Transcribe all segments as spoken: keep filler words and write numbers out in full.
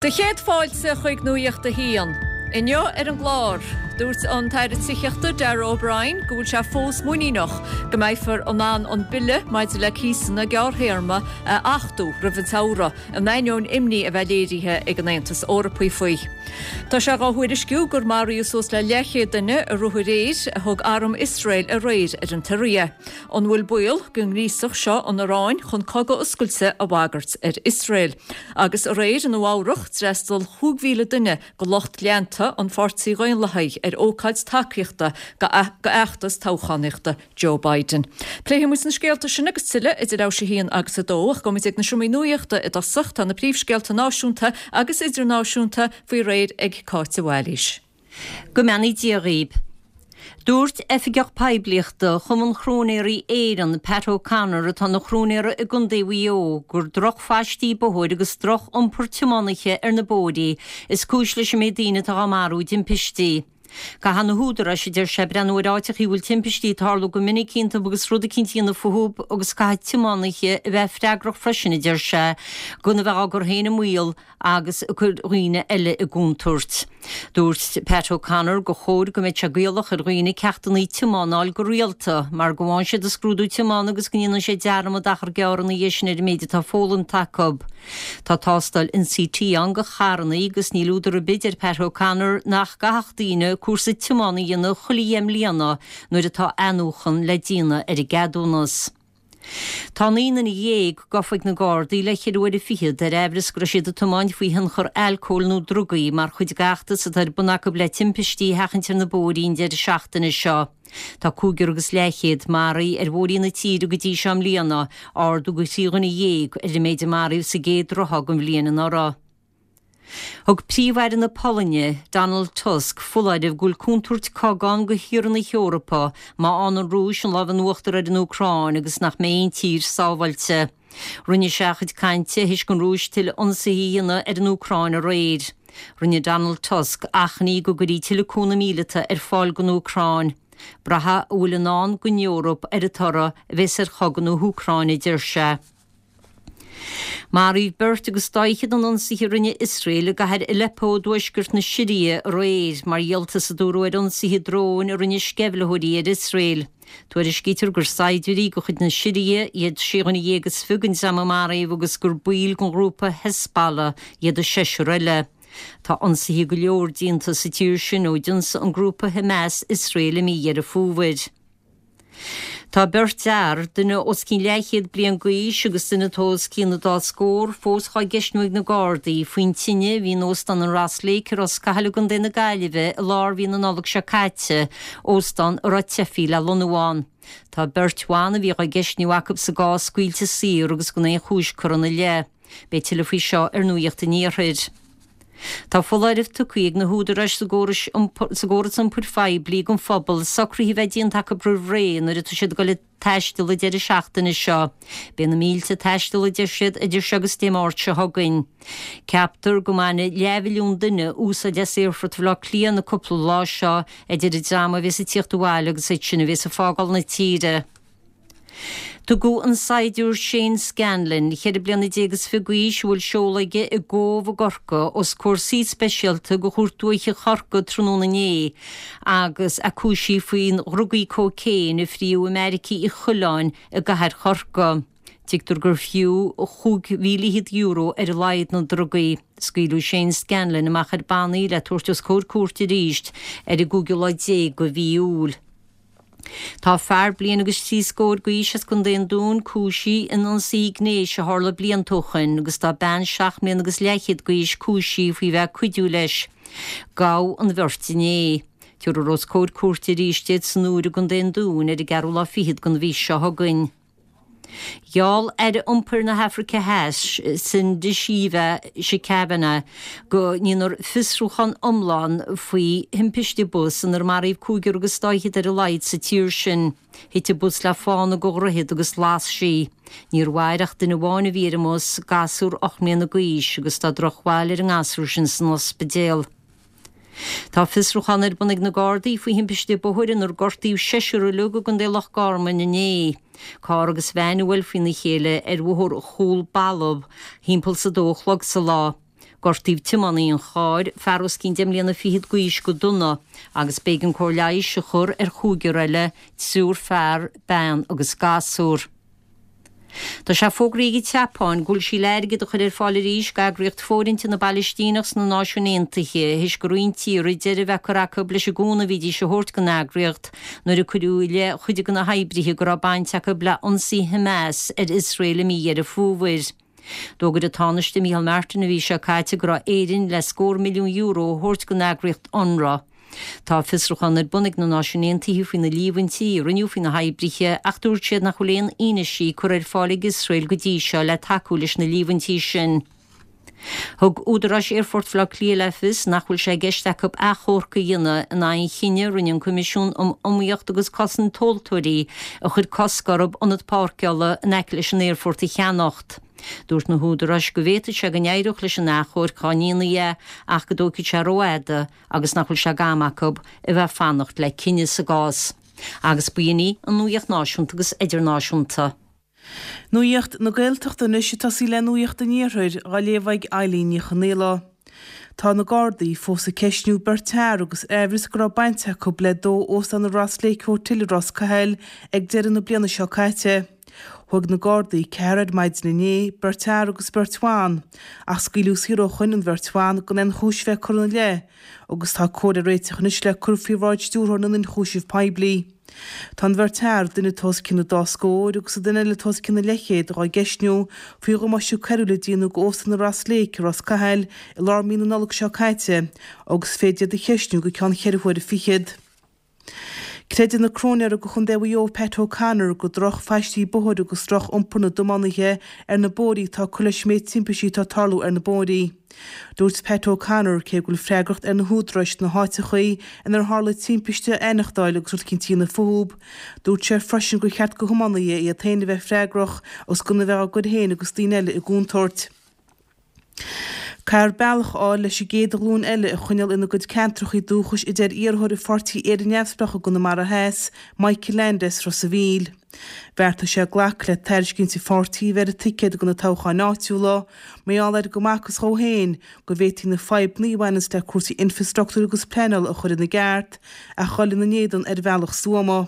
Do chéad fáilte chuig Nuacht a hAon. Inniu ar an gclár, dúirt an tAire Tithíochta Darragh O'Brien go bhfuil sé fós muiníneach go mbeifear in ann an bille maidir le cíosanna gearrthéarma a achtú roimh an tsamhradh, in ainneoin imní a bheith léirithe ag an Aontas Eorpach faoi. Tá sé á thuairisciú gur maraíodh suas le leathchéad duine i ruathar aeir a thug arm Iosrael aréir ar an tSiria. An bhfuil baol go ngríosfadh seo an Iaráin chun cogadh oscailte a bhagairt ar Iosrael? Agus aréir i Nua Eabhrac d'fhreastail chúig mhíle duine de lucht leanta an Pháirtí Dhaonlathaigh ar ócáid tacaíochta d'fheachtas toghchánaíochta Joe Biden. Pléifidh muid na scéalta sin agus tuilleadh idir leathuair théis a haon agus a dó ach gabhfaimid ag na seomraí nuachta i dtosach tá na príomhscéalta náisiúnta agus idirnáisiúnta faoi réir ag Cáit de Bhailís. Go mbeannaí Dia dhaoibh. Dúirt oifigeach poiblíochta Chumann Chróinéirí Éireann Pat O'Connor atá ina chróinéara i gContae Mhaigh Eo gur drochphaistí bóthair agus droch-iompar tiománaithe ar na bóithrí is cúis leis an méid daoine atá á marú i dtimpistí. Caithfidh na húdaráis, a deir sé, breathnú ar áiteachaí a bhfuil timpistí ag tarlú go minic iontu agus rud eicínt a dhéanamh fúthu agus caithfidh tiománaithe a bheith freagrach freisin, a deir sé, gan a bheith á gcur féin i mbaol agus ag cur dhaoine eile i gcontúirt. Dúirt Pat O'Connor gur chóir go mbeadh sé gaelach ar dhaoine ceachtanna tiomána a fháil go rialta mar go bhfaigheann siad a scrúdú tiomána agus go ndéanann siad dearmad achar gearr ina dhiaidh sin ar an méid atá foghlamtha acu. Tá tástáil NCT ann do charranna agus níl údar ar bith, deir Pat O'Connor, nach gcaithfeadh daoine cúrsa tiomána a dhéanamh chuile dheich mbliana nuair atá athnuachan le déanamh ar a gceadúnas. Tá naoi nduine dhéag gafa ag na Gardaí le ceithre huaire fichead ar aimhreas go raibh siad ag tiomáint faoi thionchar alcóil nó drugaí mar chuid d'fheachtas atá ar bun acu le timpistí a sheachaint ar na bóithrí an deireadh seachtaine seo. Tá cúigear agus leathchéad maraithe ar bhóithrí na tíre go dtí seo i mbliana, ardú de thrí dhuine dhéag ar an méid a maraíodh sa gcéad ráithe den bhliain anuraidh. Thug Príomh-Aire na Polainne, Donald Tusk, foláireamh go bhfuil contúirt cogaidh ann do thíortha na hEorpa má fhaigheann an Rúis an lámh in uachtar ar an Úcráin agus nach mbeidh aon tír sábháilte. Rinne sé a chuid cainte théis don Rúis tuilleadh ionsaithe a dhéanamh ar an Úcráin aréir. Rinne Donald Tusk achainí go gcuirfí tuilleadh cúnamh míleata ar fáil don Úcráin. Braithfidh a bhfuil i ndán don Eoraip ar an toradh a bheas ar chogadh na hÚcráine, a deir sé. Maraíodh beirt agus dá fhichead in ionsaithe a rinne Iosrael i gcathair Aleppo i dtuaisceart na Siria aréir, mar dhíoltas a dúradh ar ionsaithe dróin a rinne sceimhlitheoirí ar Iosrael. Tuairiscítear gur saighdiúirí de chuid na Siria iad sé dhuine dhéag is fiche den dream a maraíodh agus gur baill den ghrúpa Hezbollah iad an seisear eile. Tá ionsaithe go leor déanta sa tír sin ó d'ionsaigh an grúpa Hamas Iosrael i mí Dheireadh Fómhair. Tá beirt fhear, duine os cionn leathchéad bliain d'aois agus duine atá os cionn an dá scór, fós dhá gceistniú ag na Gardaí faoin tine a bhí in Óstán an Ross Lake i Ros Cathail i gContae na Gaillimhe i lár mhí na Nollag seo caite, óstán a raibh teifigh le lonnú ann. Tá beirt bhan a bhí dhá gceistniú acu sa gcás scaoilte saor agus gan aon chúis curtha ina leith. Beidh tuilleadh faoi seo ar Nuacht an Iarthair. Tá foláireamh tugtha ag na húdaráis sa gcóras iompair phoiblí don phobal socruithe a bheith déanta acu roimh ré nuair atá siad ag dul ag taisteal an deireadh seachtaine seo. Beidh na mílte ag taisteal, a deir siad, idir seo agus Dé Máirt seo chugainn. Ceaptar go mbainfidh leathmhilliún duine úsáid as Aerfort Bhaile Átha Cliath na cúpla lá seo, idir an dream a bhéas ag tíocht abhaile agus iad sin a bhéas ag fágáil na tíre. Tugadh an saighdiúir Shane Scanlon, ceithre bliana déag is fiche d'aois, a bhfuil seoladh aige i gCóbh i gCorcaigh, os comhair suí speisialta de Chúirt Dúiche Chorcaí tráthnóna inné agus é cúisithe faoi dhrugaí cócaon a fríodh i mBeairic Uí Choileáin i gcathair Chorcaí. Tuigtear gur fiú chúig mhíle fhichead euro ar a laghad na drugaí. Scaoileadh Shane Scanlon amach ar bannaí le tabhairt os comhair cúirte arís ar an gcúigiú lá déag de mhí Iúil. Tá fear bliain agus trí scór d'aois as Contae an Dúin cúisithe in ionsaí gnéis a tharla blianta ó shoin agus tá bean seacht mbliana agus leathchéad d'aois cúisithe faoi bheith ag cuidiú leis. Gabhadh an bheirt inné. Tabharfar os comhair cúirte arís iad san Iúr i gContae an Dúin ar an gceathrú lá fichead den mhí seo chugainn. Gheall Aire Iompair na hAfraice Theas, Sindisiwe Chikunga, go ndéanfar fiosrúchán iomlán faoi thimpiste bus inar maraíodh cúigear agus dá fhichead ar a laghad sa tír sin. Thit an bus le fána de dhroichead agus las sí. Níor mhair ach duine amháin a bhí ar an mbus, gasúr ocht mbliana d'aois, agus tá drochbhail ar an ngasúr sin san ospidéal. Tá fiosrúchán ar bun ag na Gardaí faoi thimpiste bóthair inar gortaíodh seisear uilig i gContae Loch Garman inné. Carr agus veain a bhuail faoina chéile ar Bhóthar Chúl Balbh thimpeall 's a dó a chlog sa lá. Gortaíodh tiománaí an chairr, fear os cionn deich mbliana fichead d'aois go dona, agus b'éigean cóir leighis a chur ar chúigear eile, triúr fear, bean agus gasúr. Tá sé fógraithe ag an tSeapáin go bhfuil sí le airgead a chur ar fáil arís d'eagraíocht fóirithinte na bPalaistíneach sna Náisiúin Aontaithe théis do roinnt tíortha deireadh a bheith curtha acu leis an gcúnamh a bhídís a thabhairt don eagraíocht nuair a cuireadh i leith chuid de na hoibrithe go raibh baint acu le ionsaí Hamas ar Iosrael i mí Dheireadh Fómhair. D'fhógair an Tánaiste Micheál Martin an mhí seo caite go raibh Éirinn le scór milliún euro a thabhairt don eagraíocht UNRWA. Tá fiosrúchán ar bun ag na Náisiúin Aontaithe faoi na líomhaintí a rinneadh faoi na hoibrithe ach dúirt siad nach bhfuil aon fhianaise curtha ar fáil ag Iosrael go dtí seo le tacú leis na líomhaintí sin. Thug údaráis Aerfort Bhaile Átha Cliath le fios nach bhfuil sé i gceist acu achomharc a dhéanamh in aghaidh an chinnidh a rinne an Coimisiún um Iomaíocht agus Cosaint Tomhaltóirí a chuir cosc orthu ionad páirceála in aice leis an aerfort a cheannacht. Dúirt na húdaráis go bhféadfadh sé go n-éireodh leis an achomharc dá ndéanfaí é ach go dtógfaidh sé rófhada agus nach bhfuil sé d'am acu a bheith ag fanacht le cinneadh sa gcás. Agus b'in í an nuaíocht náisiúnta agus idirnáisiúnta. Nuaíocht na Gaeltachta anois ag tosaí le Nuaíocht an Iarthair á léamh ag Eileen Ní Chonaola. Tá na Gardaí fós ag ceistniú beirt fhear agus amhras go raibh baint acu le dó óstán an Ross Lake Hotel i Ros Cathail ag deireadh na bliana seo caite. Thóg na Gardaí ceathrar ar maidin inné, beirt fhear agus beirt bhan, ach scaoileadh saor ó shoin an bheirt bhan gan aon chúis bheith curtha ina leith, agus tá comhad á réiteach anois le cur faoi bhráid Stiúrthóir na nIonchúiseamh Poiblí. Tá an bheirt fhear, duine atá os cionn an dá scór agus an duine eile atá os cionn a leithchéad, dhá gceistniú faoi dhamáiste coiriúil a déanadh go Óstán an Ross Lake i Ros Cathail i lár mí na Nollag seo caite agus féadfar iad a cheistniú go ceann cheithre huaire fichead. Creideann an Cróinéir do Chontae Mhaigh Eo Pat O'Connor gur drochphaistí bóthair agus droch-iompar na dtiománaithe ar na bóithrí atá ag cur leis an méid timpistí atá ag tarlú ar na bóithrí. Dúirt Pat O'Connor cé go bhfuil freagracht ar na húdaráis na háiteachaí inar tharla timpiste a aithneachtáil agus rud eicínt a dhéanamh fúthu, dúirt sé freisin gur cheart go thiománaithe iad féin a bheith freagrach agus gan a bheith á gcur féin agus daoine eile i gcontúirt. Caithfear bealach a fháil leis an gcéad ghlúin eile a choinneáil ina gcuid ceantracha dúchais a deir iarrthóir Pháirtí Éire Neamhspleách i gConamara Theas, Michael Leainde as Ros an Mhíl. Bheartaigh sé glacadh le tairiscint an pháirtí a bheith ar an ticéad do na toghcháin áitiúla, mar gheall ar go mb'fhacthas dhó féin go bhféadfaí na fadhbanna a bhaineanns le cúrsaí infreastruchtúir agus pleanála a chur ina gceart ach dhul ina n-éadan ar bhealach stuama.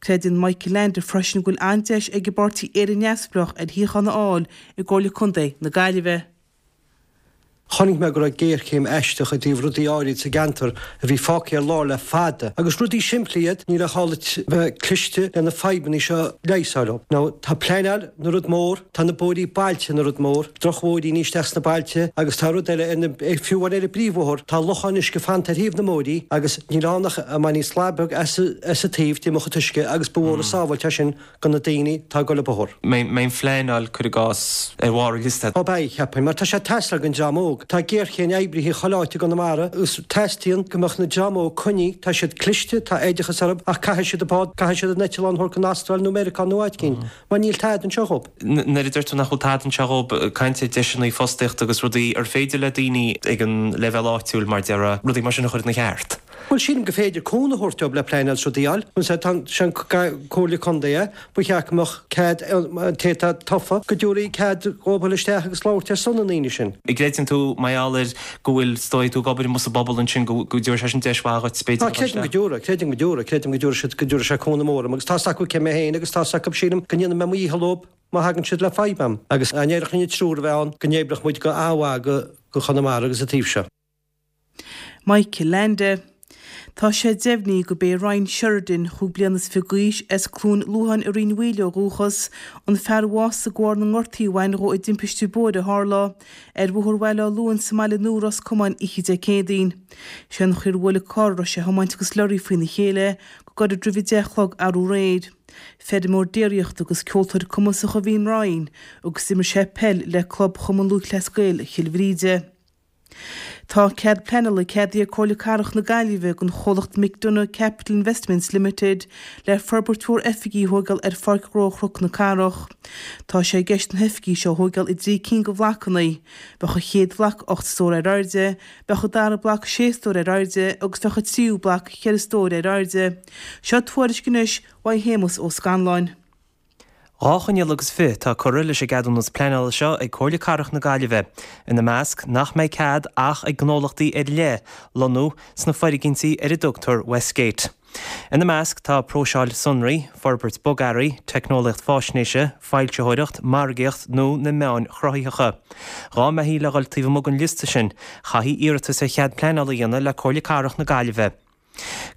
Creideann Michael Leainde freisin go bhfuil an-deis ag an bpáirtí Éire Neamhspleách ar shuíochán a fháil i gComhairle Contae na Gaillimhe. Chonaic mé go raibh géarchéim aisteach i dtaobh rudaí áirid sa gceantar a bhí fágtha ar lár le fada, agus rudaí simplí iad, níl ach gá duit bheith cliste le na fadhbanna seo a leigheasáil. Now, tá pleanáil ina rud mór, tá na bóithrí bailte ina rud mór, drochbhóithríní isteach sna bailte agus tá rud eile, ar na, fiú amháin ar an bpríomhbhóthar, tá locháin uisce fanta ar thaobh na mbóithrí agus níl ann ach a mbainfí slat beag as as an taobh d'imeodh an t-uisce agus ba mhór an sábháilt é sin do na daoine atá ag dul an bóthar. Mbeidh an phleanáil, cuir i gcás, ar bharr an liosta? Ó beidh, cheapfainn, mar tá sé ag teastáil don dream óg. Tá géarchéim oibrithe chuile áit i gConamara agus teastaíonn go mbeadh na dream óg coinnithe, tá siad cliste, tá oideachas orthu ach caithfidh siad an bád, caithfidh siad an eitleán a thabhairt go Astráil nó Meiriceá nó áit éicint mar níl tada anseo dhób. Nuair a deir tú nach bhfuil tada anseo dhób, caint ar deiseanna fostaíochta agus rudaí, ar féidir le daoine ag an leibhéal áitiúil, mar déarfá, rudaí mar sin a chur ina cheart? Bhuel, sílim gur féidir cúnamh a thabhairt dóibh le pleanáil is rudaí a fháil. Más é an Comhairle Contae é, ba cheart go mbeadh cead an té atá tofa, go dtabharfaí cead dhóibh dul isteach agus labhairt ar son na ndaoine sin. An gcreideann tú, mar gheall ar go bhfuil, is dóigh, tú ag obair amuigh sa bpobal ansin, go dtabharfaidh sé sin deis mhaith dhuit, b'fhéidir, Tá, creidim go dtabharfaidh, creidim go dtabharfaidh, creidim go dtabharfaidh siad, go dtabharfaidh sé cúnamh mór dom agus tá's acu cé mé féin agus tá's acu, sílim, go ndéanfaidh mé mo dhícheall dóibh má thagann siad le fadhb a'm. Agus dá n-éireodh linn an triúr a bheith ann, go n-oibreodh muid go an-mhaith go Chonamara agus an taobh seo. Michael Leainde. Tá sé deimhnithe gurb é Ryan Sheridan, chúig bliana is fiche d'aois, as Cluain Luatháin i Rinn Mhaoile ó dhúchas, an fear a bhásaigh de bharr na ngortaí a bhain dhó i dtimpiste bóthair a tharla ar Bhóthar Bhaile Átha Luain sa mBaile Nua, Ros Comáin, oíche Dé Céadaoin. Sé an chaoi ar bhuail an carr a raibh sé a thiomáint agus lorry faoina chéile go gairid roimh a deich a chlog arú aréir. Feirmeoir déiríochta agus ceoltóir cumasach a bhí in Ryan agus d'imir sé peil le club Chumann Lúthchleas Gael Chill Bhríde. Tá cead pleanála ceadaithe ag Comhairle Cathrach na Gaillimhe don chomhlacht McDonagh Capital Investments Limited le forbairt mhór oifigí a thóigeáil ar Pháirc Ghnó Chnoc na Cathrach. Tá sé i gceist na hoifigí seo a thóigeáil i dtrí cinn de bhlocanna. Bheadh an chéad bhloc ocht stór ar airde, bheadh an dara bloc sé stór ar airde agus bheadh an tríú bloc ceithre stór ar airde. Seo tuairisc anois uaidh Shéamus Ó Scanláin. Dhá choinníoll agus fiche atá curtha leis an gceadúnas pleanála seo ag Comhairle Cathrach na Gaillimhe, ina measc nach mbeidh cead ach ag gnólachtaí ar leith lonnú sna foirgintí ar a dtugtar Westgate. Ina measc tá próiseáil sonraí, forbairt bogearraí, teicneolaíocht faisnéise, foilsitheoireacht, margaíocht nó na meáin chruthaitheacha. Dá mbeifí le dhul taobh amuigh den liosta sin, chaithfí iarratas ar chead pleanála a dhéanamh le Comhairle Cathrach na Gaillimhe.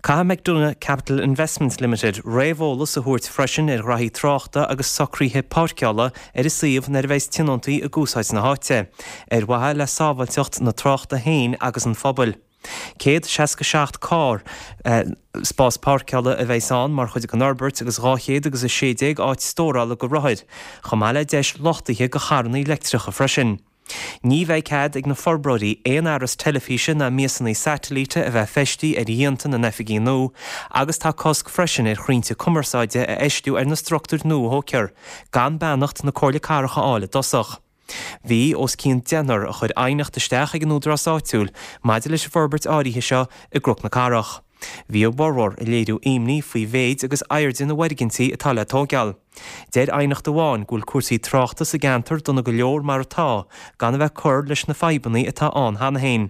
Caithfidh McDonagh Capital Investments Limited réamheolas a thabhairt freisin ar ghraithí tráchta agus socruithe páirceála ar an suíomh nuair a bheas tionóntaí ag úsáid na háite, ar mhaithe le sábháilteacht na tráchta féin agus an phobail. Céad seasca seacht carr spás páirceála a bheas ann mar chuid den fhorbairt agus dhá chéad agus a sé déag áit stórála do rothair, chomh maith le deis luchtaithe do charranna leictreacha freisin. Ní bheidh cead ag na forbróirí aon fhearas teilifíse ná miasanna satailíte a bheith feistithe ar dhíonta na n-oifigí nua agus tá cosc freisin ar chrainnte cumarsáide a fheistiú ar na struchtúir nua a thógfar, gan beannacht na Comhairle Cathrach a fháil i dtosach. Bhí os cionn deichniúr a chuir aighneacht isteach ag an údarás áitiúil maidir leis an bhforbairt áirithe seo i gCnoc na Cathrach. Bhí a bhformhór ag léiriú imní faoi mhéid agus airde na bhfoirgintí atá le tógáil. Deir aighneacht amháin go bhfuil cúrsaí tráchta sa gceantar dona go leor mar atá, gan a bheith ag cur leis na fadhbanna atá ann cheana féin.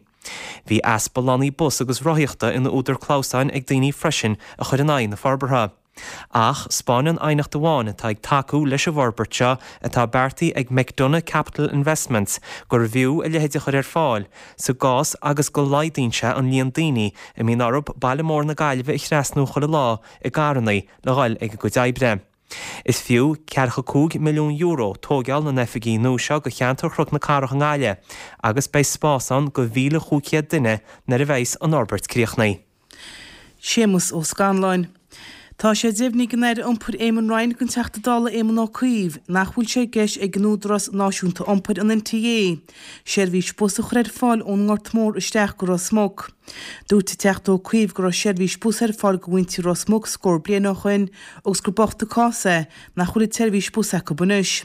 Bhí easpa lánaí bus agus rothaíochta ina údar clamhsáin ag daoine freisin a chuir in aghaidh na forbartha. Ach 'spáineann aighneacht amháin atá ag tacú leis an bhforbairt seo atá beartaithe ag McDonagh Capital Investments gurbh fhiú a leithéid a chur ar fáil sa gcás agus go laghdaíonn sé an líon daoine a mbíonn orthu baile mór na Gaillimhe a thrasnú chuile lá i gcarranna le dhul ag a gcuid oibre. Is fiú ceathracha cúig milliún euro tógáil na n-oifigí nua seo do cheantar Chnoc na Cathrach i nGaillimh agus beidh spás ann do mhíle chúig chéad duine nuair a bheas an fhorbairt críochnaithe. Séamus Ó Scanláin. Tá sé deimhnithe ag an Aire Iompair Eamon Ryan don Teachta Dála Éamon Ó Cuív nach bhfuil sé i gceist ag an Údarás Náisiúnta Iompair, an NTA, seirbhís bus a chur ar fáil ón nGort Mór isteach go Ros Muc. Dúirt an Teachta Ó Cuív go raibh seirbhís bus ar fáil do mhuintir Ros Muc scór bliain ó shoin agus gur bocht an cás é nach bhfuil an tseirbhís bus acu anois.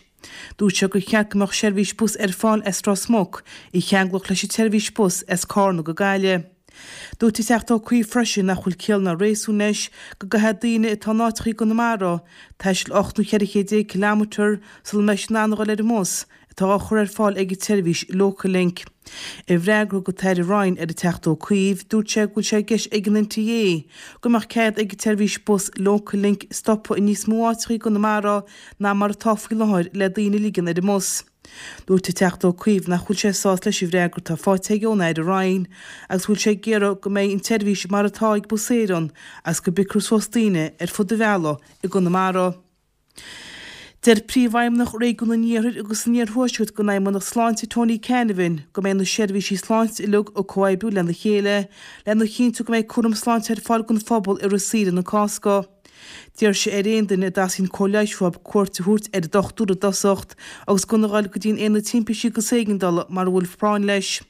Dúirt sé gur cheart go mbeadh seirbhís bus ar fáil as Ros Muc a cheanglódh leis an tseirbhís bus as Carna go Gaillimh. Dúirt an Teachta Ó Cuív freisin nach bhfuil ciall ná réasún leis go gcaithfidh daoine atá in áiteacha i gConamara taisteal ocht nó cheithre chéad déag ciliméadar sula mbeidh siad in ann a dhul ar an mbus atá á chur ar fáil ag an tseirbhís Local Link. I bhfreagra thug an tAire Ryan ar an Teachta Ó Cuív, dúirt sé go bhfuil sé i gceist ag an NTA go mbeadh cead ag an tseirbhís bus Local Link stopadh i níos mó áiteacha i gConamara ná mar atá faoi láthair le daoine a ligean ar an mbus. Dúirt an Teachta Ó Cuív nach bhfuil sé sásta leis an bhfreagra atá faighte aige ón Aire Ryan agus go bhfuil sé ag iarraidh go mbeidh an tseirbhís mar atá ag Bus Éireann agus go bpiocfar suas daoine ar fud an bhealaigh i gConamara. Deir Príomhfheidhmeannach Réigiún an Iarthair agus an Iarthuaiscirt den Fheidhmeannacht Sláinte Tony Canavan go mbeidh na seirbhísí sláinte uilig ag comhoibriú lena chéile lena chinntiú go mbeidh cúram sláinte ar fáil don phobal i rith saoire na Cásca. D'iarr sé ar aon duine a dteastaíonn cóir leighis uathu cuairt a thabhairt ar an dochtúir i dtosacht agus gan a dhul go dtí an Aonad Timpistí agus Éigeandála mara bhfuil práinn leis.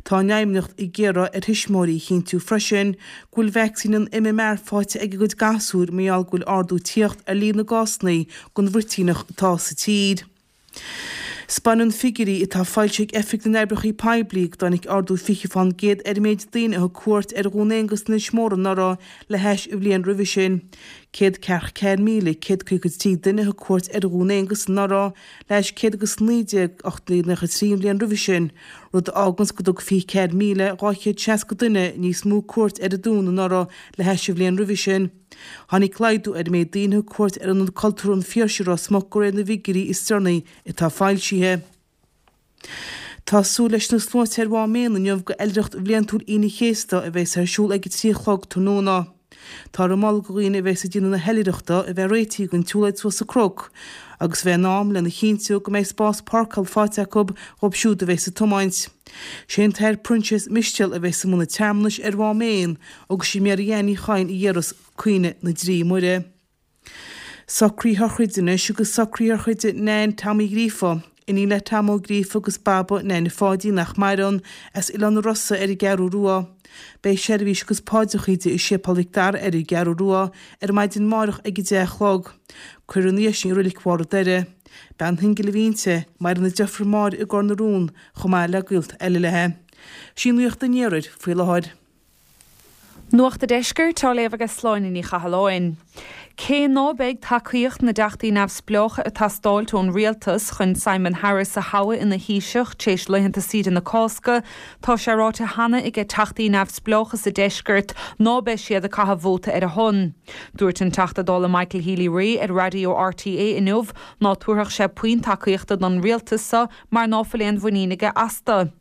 Tá an Fheidhmeannacht ag iarraidh ar thuismitheoirí a chinntiú freisin go bhfuil vacsaín an MMR faighte ag a gcuid gasúir mar gheall go bhfuil ardú ag tíocht ar líon na gcásanna den bhruitíneach atá sa tír. 'Spáineann figiúirí atá foilsithe ag Oifig na nOibreacha Poiblí go dtáinig ardú fiche fán gcéad ar an méid daoine a thug cuairt ar Dhún Aonghasa in Inis Mór anuraidh le hais an bhliain roimhe sin. Céad ceathracha ceathair míle céad caoga trí duine a thug cuairt ar Dhún Aonghasa anuraidh le hais céad agus naoi déag ocht déag nócha trí an bhliain roimhe sin, rud a fháganns go dtug fiche ceathair míle dhá chéad seasca duine níos mó cuairt ar an Dún anuraidh le hais an bhliain roimhe sin. Tháinig laghdú ar an méid daoine a thug cuairt ar Ionad Cultúrtha an Phiarsaigh i Ros Muc de réir na bhfigiúirí is deireanaí atá foilsithe. Tá súil leis na sluaite ar Mhám Éan inniu go oilithreacht bhliantúil Aoine an Chéasta a bheas ar siúl ag a trí a chlog tráthnóna. Táthar ag moladh do dhaoine a bheas ag déanamh na hoilithreachta a bheith réitithe don tsiúlóid suas an cnoc agus a bheith in am lena chinntiú go mbeidh spás páirceála faighte acu dhóibh siúd a bheas ag tiomáint. Sé an tAthair Proinsias Mistéal a bheas i mbun an tsearmanais ar Mhám Éan agus sí Mary Ann Ní Chadhain a dhéarfas Caoineadh na dTrí Muire. Socruithe shochraide anois agus socruithe shochraide Nan Tom Uí Ghríofa, iníon le Tom Ó Gríofa agus Baba Neaine Pháidí nach maireann, as Oileán na Rosa ar an gCeathrú Rua. Beidh seirbhís agus paidreacha di i Séipéal Mhic Dara ar an gCeathrú Rua ar maidin amárach ag a deich a chlog. Cuirfear ina dhiaidh sin i Reilig Bharr an Doire. Bean shingil a bhí inti, maireann a deirfiúr Máire i gCor na Rón chomh maith le gaolta eile léi. Sin Nuacht an Iarthair faoi láthair. Nuacht an Deiscirt á léamh ag Sláine Ní Chathalláin. Cé ná beidh tacaíocht na dteachtaí neamhspleácha ag teastáilt ón rialtas chun Simon Harris a thoghadh ina Thaoiseach tar éis laethanta saoire na Cásca, tá sé ráite cheana ag teachtaí neamhspleácha sa deisceart ná beidh siad ag caitheamh vóta ar a shon. Dúirt an Teachta Dála Michael Healy-Rae ar Raidió RTÉ inniu ná tabharfadh sé puinn tacaíochta don rialtas seo mar ná fuil aon mhuinín aige astu.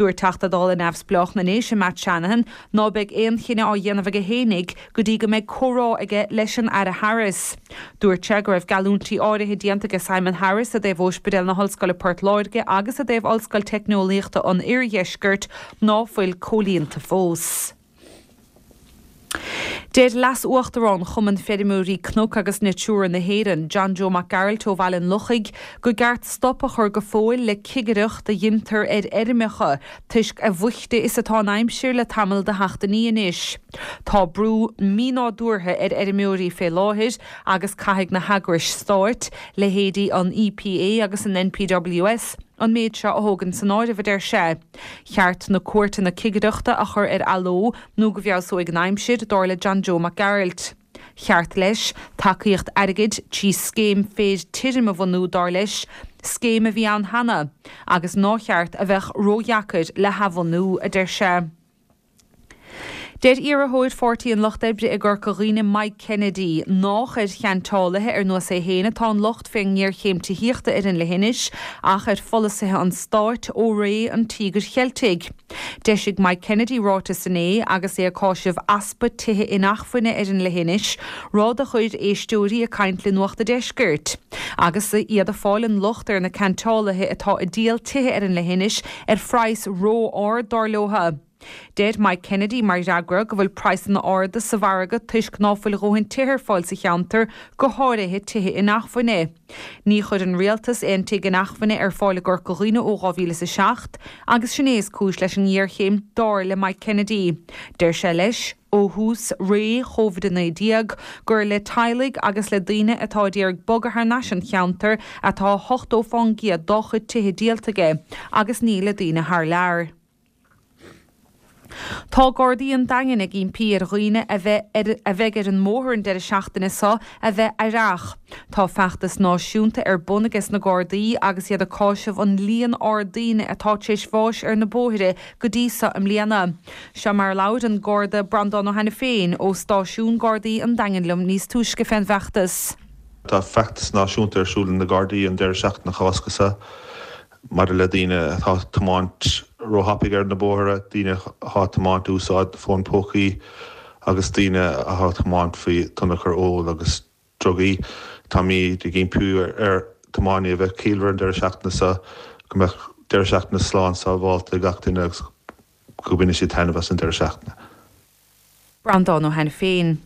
Dúirt Teachta Dála neamhspleách na nDéise Matt Shanahan ná beidh aon chinneadh á dhéanamh aige fhéinig go dtí go mbeidh comhrá aige leis an Aire Harris. Dúirt sé go raibh geallúintí áirithe déanta ag Simon Harris i dtaobh Ospidéal na hOllscoile Port Láirge agus i dtaobh Ollscoil Teicneolaíochta an Iardheiscirt ná fuil comhlíonta fós. Deir Leas-Uachtarán Chumann Feirmeoirí Cnoc agus Natura na hÉireann, John Joe Mac Gearailt ó Bhaile an Lochaigh, gur ceart stop a chur go fóill le cigireacht a dhéantar ar fheirmeacha, toisc a bhoichte is atá an aimsir le tamall de sheachtainí anois. Tá brú mínádúrtha ar fheirmeoirí fé láthair agus caithfidh na heagrais stáit, leithéidí an EPA agus an NPWS, an méid seo a thógáil san áireamh a deir sé. Cheart na cuairteanna cigireachta a chur ar athló nó go bhfeabhsóidh an aimsir dar le John Joe Mac Gearailt. Cheart leis tacaíocht airgid trí scéim féir tirim a bhunú dar leis, scéim a bhí ann cheana, agus nár cheart a bheith ródheacair le hathbhunú a deir sé. Deir iarrthóir Pháirtí an Lucht Oibre i gCorca Dhuibhne Mike Kennedy nách ar cheantálaithe ar nós é féin atá an locht fén ngéarchéim tithíochta ar an leithinis ach ar pholasaithe an stáit ó ré an Tíogair Cheiltigh. D'eisigh Mike Kennedy ráiteas inné agus é ag cáiseamh easpa tithe inacmhainne ar an leithinis, rud a chuir éisteoirí ag caint le Nuacht an Deiscirt. Agus iad ag fáil an locht ar na ceantálaithe atá ag díol tithe ar an leithinis ar phraghas ró-ard dar leo. Deir Mike Kennedy mar fhreagra go bhfuil praghsanna arda sa mhargadh toisc ná fuil a ndóthain tithe ar fáil sa cheantar go háirithe tithe inacmhainne. Ní chuir an rialtas aon tigh inacmhainne ar fáil i gCorca Dhuibhne ó dhá mhíle is a seacht, agus sin é is cúis leis an ngéarchéim dar le Mike Kennedy. Deir sé leis, ó thús ré Covid a naoi déag, gur le teaghlaigh agus le daoine atá ag iarraidh bogadh thar n-ais an cheantar atá ochtó faoin gcéad dá chuid tithe díolta aige, agus ní le daoine thar lear. Tá Gardaí an Daingin ag impí ar dhaoine a bheith a bheidh ar an mbóthar an deireadh seachtaine seo a bheith aireach. Tá feachtas náisiúnta ar bun aige sna Gardaí agus iad ag cáiseamh an líon ard daoine atá tar éis bháis ar na bóithre go dtí seo i mbliana. Seo mar a labhair an Garda Breandán Ó hAiniféin ó Stáisiún Gardaí an Daingin liom níos túisce fén bhfeachtas. Tá feachtas náisiúnta ar siúl ag na Gardaí an deireadh seachtaine Cásca seo maidir le daoine atá ag tiomáint róthapaidh ar na bóithre, daoine atá ag tiomáint úsáid fón pócaí agus daoine atá ag tiomáint faoi thionchar óil agus drugaí. Táimid ag impí ar thiománaithe a bheith ciallmhar an deireadh seachtaine seo go mbeadh deireadh seachtaine slán sábháilte ag gach duine agus go mbainfidh siad taitneamh as an deireadh seachtaine. Breandán Ó hAiniféin.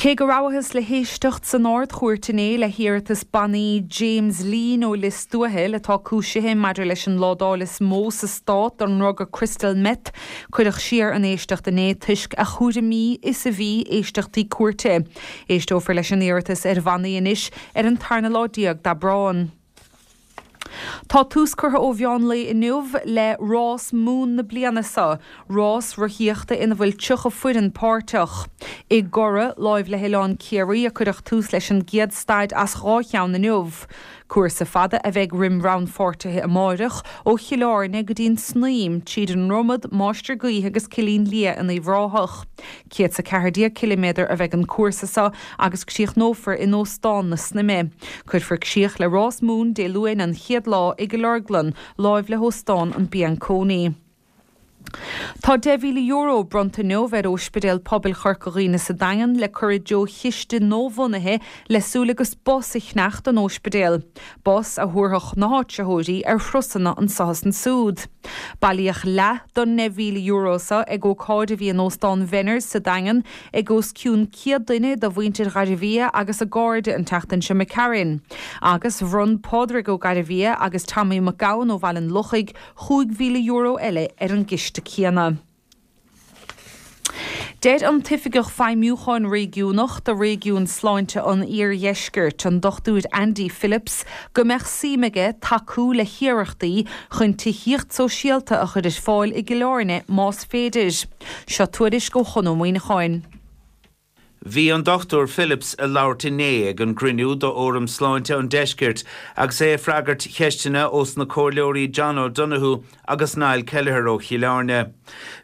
Cé go rabhthas le héisteacht san Ard-Chúirt inné le hiarratas bannaí James Leen ó Lios Tuathail atá cúisithe maidir leis an ládáil is mó sa stát don ndruga crystal meth, cuireadh siar an éisteacht inné toisc a chúraimí is a bhí éisteachtaí cúirte. Éisteofar leis an iarratas ar bhannaí anois ar an tarna lá déag d'Aibreán. Tá tús curtha ó mheán lae inniu le rás Mumhan na bliana seo, rás rothaíochta ina bhfuil tríocha foireann páirteach. I gCora láimh le hOileán Ciarraí a cuireadh tús leis an gcéad staid as dhá cheann inniu. Cúrsa fada a bheidh roimh rannpháirtithe amárach ó Chill Airne go dtí an Snaidhm tríd an Dromad, Máistir Gaoithe agus Cillín Liath in Uíbh Ráthach. Céad is a ceathair déag ciliméadar a bheidh an cúrsa seo agus críochnófar in Óstán na Snaidhme. Cuirfear críoch le Rás Mumhan Dé Luain an chéad lá i gCill Orglan, láimh le hÓstán an Bianconi. Tá deich mhíle euro bronnta inniu ar Ospidéal Pobail Chorca Dhuibhne sa Daingean le cur i dtreo chiste nuabhunaithe le súil agus bus a cheannach don ospidéal. Bus a thabharfadh na háitritheoirí ar thurasanna anso is ansúd. Bailíodh leath den deich mhíle euro seo ag ócáid a bhí in Óstán Venners sa Daingean ag os cionn céad duine de mhuintir Ghairbhia agus a gcairde an tseachtain seo imigh tharainn. Agus bhronn Pádraig Ó Gairbhia agus Tommy Mac Gabhann ó Bhaile an Lochaigh chúig mhíle euro eile ar an gciste céanna. Deir an tOifigeach Feidhmiúcháin Réigiúnach do Réigiún Sláinte an Iardheiscirt, an Dochtúir Andy Phillips, go mbeadh suim aige tacú le hiarrachtaí chun tithíocht sóisialta a chur ar fáil i gCill Airne más féidir. Seo tuairisc ó Chon Ó Muíneacháin. Bhí an Dochtúir Phillips ag labhairt inné ag an gcruinniú do Fhóram Sláinte an Deiscirt agus é ag freagairt cheisteanna ós na comhairleoirí John O'Donoghue agus Niall Kelleher ó Chill Airne.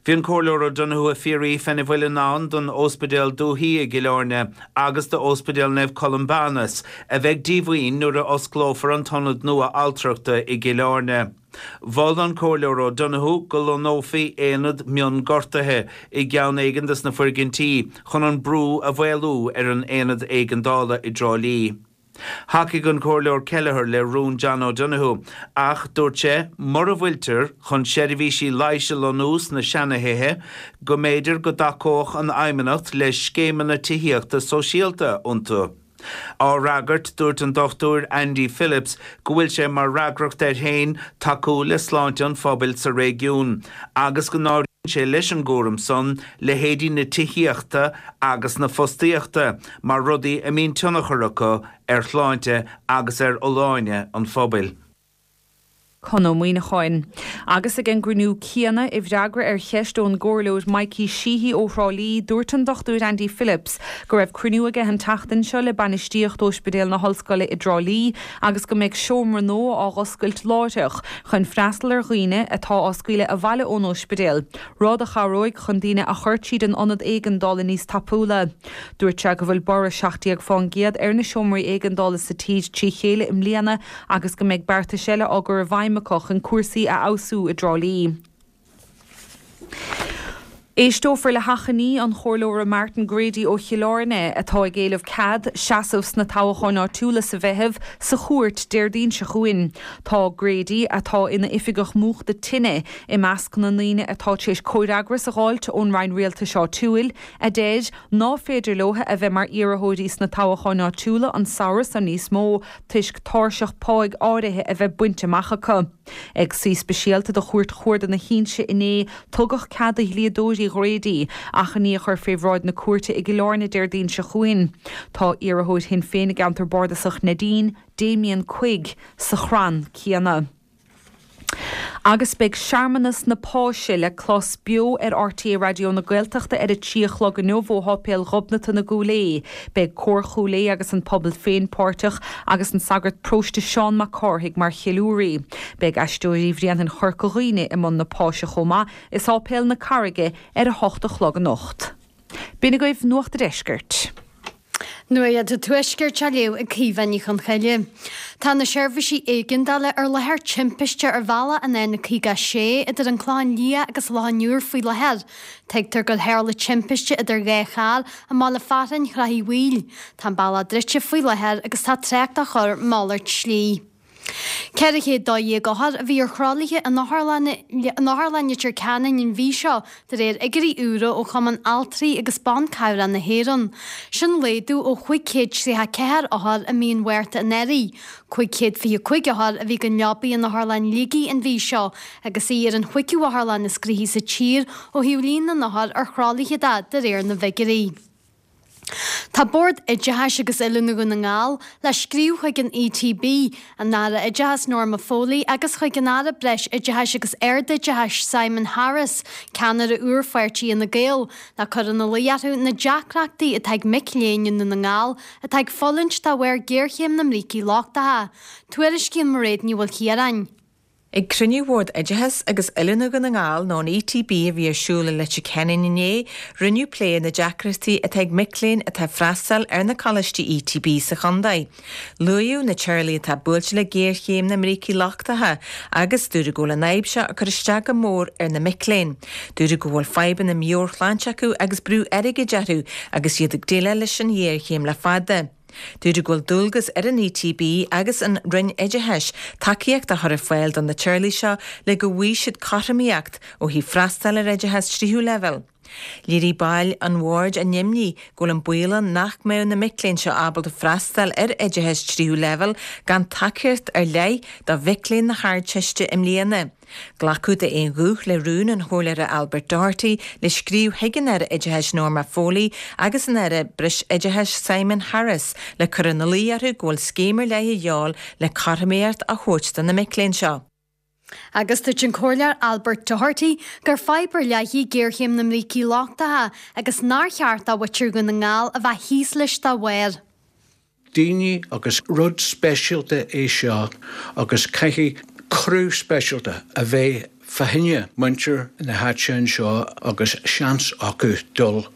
Bhí an Comhairleoir O'Donoghue ag fiafraí fén bhfuil i ndán don Ospidéal Dúiche i gCill Airne agus do Ospidéal Naomh Columbanus a bheidh díomhaoin nuair a osclófar an t-ionad nua altrachta i gCill Airne. Mhol an Comhairleoir O'Donoghue go lonnófaí aonad mionghortuithe i gceann éigin des na foirgintí chun an brú a mhaolú ar an aonad éigeandála i dTrá Lí. Thacaigh an Comhairleoir Kelleher le rún John O'Donoghue ach dúirt sé mura bhfuiltear chun seirbhísí leighis a lonnú sna seanathithe go mb'fhéidir go dtacódh an Fheidhmeannacht le scéimeanna tithíochta sóisialta iontu. Á fhreagairt, dúirt an Dochtúir Andy Phillips go bhfuil sé mar fhreagracht air féin tacú le sláinte an phobail sa réigiún agus go n-áiríonn sé leis an gcúram san leithéidí na tithíochta agus na fostaíochta mar rudaí a mbíonn tionchar acu ar shláinte agus ar fholláine an phobail. Conn Ó Muíneacháin. Agus ag an gcruinniú céanna, i bhfreagra ar cheist ón gComhairleoir Mikey Sheehy ó Thrá Lí, dúirt an Dochtúir Andy Phillips go raibh cruinniú aige an tseachtain seo le bainistíocht Ospidéal na hOllscoile i dTrá Lí agus go mbeidh seomra nua á dh'oscailt láithreach chun freastal ar dhaoine atá á scaoileadh abhaile ón ospidéal, rud a chabhróidh chun daoine a chur tríd an ionad éigeandála níos tapúla. Dúirt sé go bhfuil borradh seacht déag fán gcéad ar na seomraí éigeandála sa tír trí chéile i mbliana agus go mbeidh beartais eile á gcur i bhfeidhm acu chun cúrsaí a fheabhsú i dTrá Lí. Éisteofar le hachainí an Chomhairleora Martin Grady ó Chill Airne, atá ag éileamh cead seasamh sna toghcháin áitiúla sa Mheitheamh, sa chúirt Déardaoin seo chugainn. Tá Grady, atá ina oifigeach múchta tine, i measc na ndaoine atá tar éis comhfhreagras a dh'fháilt ón Roinn Rialtais Áitiúil, a deir ná féidir leo a bheith mar iarrthóirí sna toghcháin áitiúla an samhradh seo níos mó toisc tairseach páigh áirithe a bheith bainte amach acu. Ag suí speisialta de Chúirt Chuarda na hInse inné, tugadh cead do dhlíodóirí Ghrady achainí a chur fé bhráid na cúirte i gCill Airne Déardaoin seo chugainn. Tá iarrthóir Shinn Féin i gceantar bardasach Neidín, Damien Quigg, sa chrann céanna. Agus beidh searmanas na Páise le clos beo ar RTÉ Raidió na Gaeltachta ar a trí a chlog inniu ó Sháipéal Ghobnatan i gCúil Aodha. Beidh Cór Chúil Aodha agus an pobal féin páirteach agus an sagart paróiste Seán Mac Cárthaigh mar cheiliúraí. Beidh Aisteoirí Bhréanainn Chorca Dhuibhne i mbun na Páise chomh maith i Sáipéal na Carraige ar a hocht a chlog anocht. B'in agaibh Nuacht a' Deiscirt. Nuacht an Tuaiscirt á léamh ag Caoimhe Ní Chonchoille. Tá na seirbhísí éigeandála ar láthair timpiste ar bhealach an N caoga a sé idir an Clochán Liath agus Loch an Iúir faoi láthair. Tuigtear gur tharla timpiste idir dhá charr i mbaile fearainn Shraith Uí Bhaoill. Tá an bealach druidte faoi láthair agus tá trácht á chur malairt slí. Ceithre chéad dó dhéag othar a bhí ar thralaithe in Otharlann Leitir Ceanainn an mhí seo, de réir fhigiúirí úra ó Chumann Altraí agus Ban Cabhrach na hÉireann. Sin laghdú ó chúig chéad tríocha ceathair othar i mí an Mhárta anuraidh. Cúig chéad fiche cúig othar a bhí gan leabaidh in Otharlann Shligigh an mhí seo agus í ar an chúigiú otharlann is gnoithí sa tír ó thaobh líon na n-othar ar thralaithe de, de réir na bhfigiúirí. Tá Bord Oideachais agus Oiliúna Dhún na nGall le scríobh chuig an E T B, an Aire Oideachais Norma Foley agus chuig an Aire Breis-Oideachais agus Ardoideachais Simon Harris, ceannaire úr pháirtí Fhine Gael, le cur ina luí orthu na deacrachtaí atá ag mic léinn i nDún na nGall atá ag fulaingt de bharr géarchéim na mbrící lochtacha. Tuairiscíonn Mairéad Ní Mhaoilchiaráin. Ag cruinniú Bhord Oideachais agus Oiliúna Dhún na nGall nó an E T B a bhí ar siúl i Leitir Ceanainn inné, rinneadh plé ar na deacrachtaí atá ag mic léinn atá ag freastal ar na coláistí E T B sa chontae. Luaíodh na teaghlaigh atá buailte le géarchéim na mbrící lochtacha agus dúradh go bhfuil an fhadhb seo ag cur isteach go mór ar na mic léinn. Dúradh go bhfuil fadhbanna meabhairshláinte acu agus brú airgid orthu agus iad ag déileáil leis an ghéarchéim le fada. Dúradh go bhfuil dualgas ar an E T B agus an Roinn Oideachais tacaíocht a chur ar fáil do na teaghlaigh seo le go bhfaighidh siad cothromaíocht ó thaobh freastal ar oideachas tríú leibhéal. Léirigh baill an bhoird a n-imní go bhfuil an baol ann nach mbeadh na mic léinn seo ábalta freastal ar oideachas tríú leibhéal gan tacaíocht ar leith do mhic léinn na hArdteiste i mbliana. Glacadh d'aon ghuth le rún an Chomhairleora Albert Doherty le scríobh chuig an Aire Oideachais Norma Foley agus an Aire Breisoideachais Simon Harris le cur ina luí orthu go bhfuil scéim ar leith a dhíobháil le cothromaíocht a thabhairt do na mic léinn seo. Agus dúirt an Comhairleoir Albert Doherty gur fadhb ar leith í géarchéim na mbrící lochtacha agus nár cheart do mhuintir Dhún na nGall a bheith thíos leis dá bharr. Daoine agus rud speisialta é seo agus caithfidh cúram speisialta a bheith fá choinne muintir na háite anseo agus seans acu dul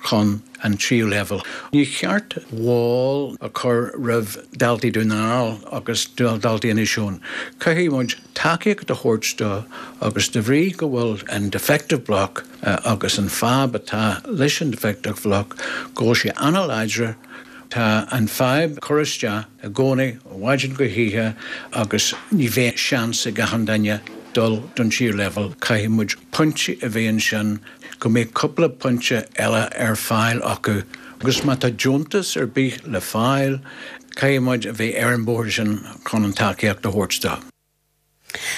chun an tríú leibhéal. Ní cheart wall a chur roimh daltaí Dhún na nGall agus daltaí Inis Eoghain. Caithfidh muid tacaíocht a thabhairt dó agus de bhrí go bhfuil an defective block uh, agus an fadhb atá leis an defective block go bhfuil sé an-láidir Tá an fadhb curtha isteach i gcónaí ó mhaidin go hoíche agus ní bheidh seans ag achan duine dul don tríú leibhéal caithfidh muid pointí a bheith ansin go mbeidh cúpla pointe eile ar fáil acu. Agus má tá deontas ar bith le fáil, caithfidh muid a bheith ar an bhóthar sin chun an tacaíocht a thabhairt dó.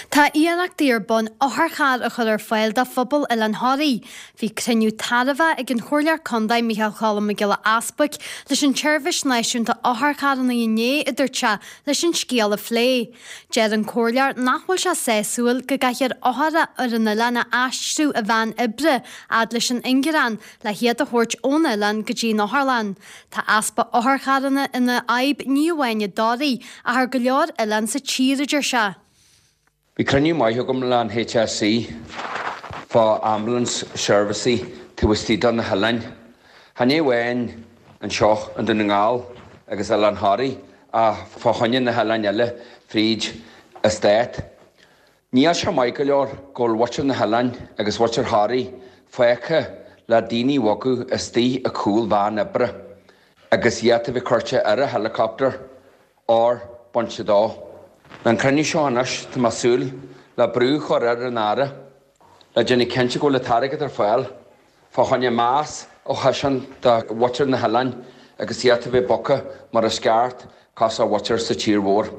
Tá iarrachtaí ar bun otharcharr a chur ar fáil do phobal Oileán Thoraí. Bhí cruinniú tairbhe ag an Chomhairleoir Contae Micheál Cholm Mac Giolla Easbuic leis an tseirbhís náisiúnta otharcharranna inné a dúirt sé leis an scéal a phlé. Deir an Comhairleoir nach bhfuil sé sásúil go gcaithfear othair ar an oileán a aistriú i veain oibre fhad leis an ingearán le hiad a thabhairt ón oileán go dtí an otharlann. Tá easpa otharcharranna ina fhadhb ní amháin i dToraigh ach ar go leor oileán sa tír a deir sé. Bhí cruinniú maith agam le an HSE fá ambulance services taobh istigh de na hoileáin. Chan é amháin anseo i nDún na nGall agus Oileán Thoraí ach fá choinne na hoileáin eile fríd an stát. Níl sé maith go leor go bhfuil muintir na hoileáin agus muintir Thoraí fágtha le daoine a bhogadh istigh i gcúl veain oibre agus iad a bheith curtha ar a helicopter or bainte dó. Le an cruinniú seo anois tá mé ag súil le brú a chur ar an Aire le déanamh cinnte go bhfuil an t-airgead ar fáil fá choinne meas a thaispeáint do mhuintir na hoileáin agus iad a bheith bogtha mar is ceart cosúil le muintir sa tír mhór.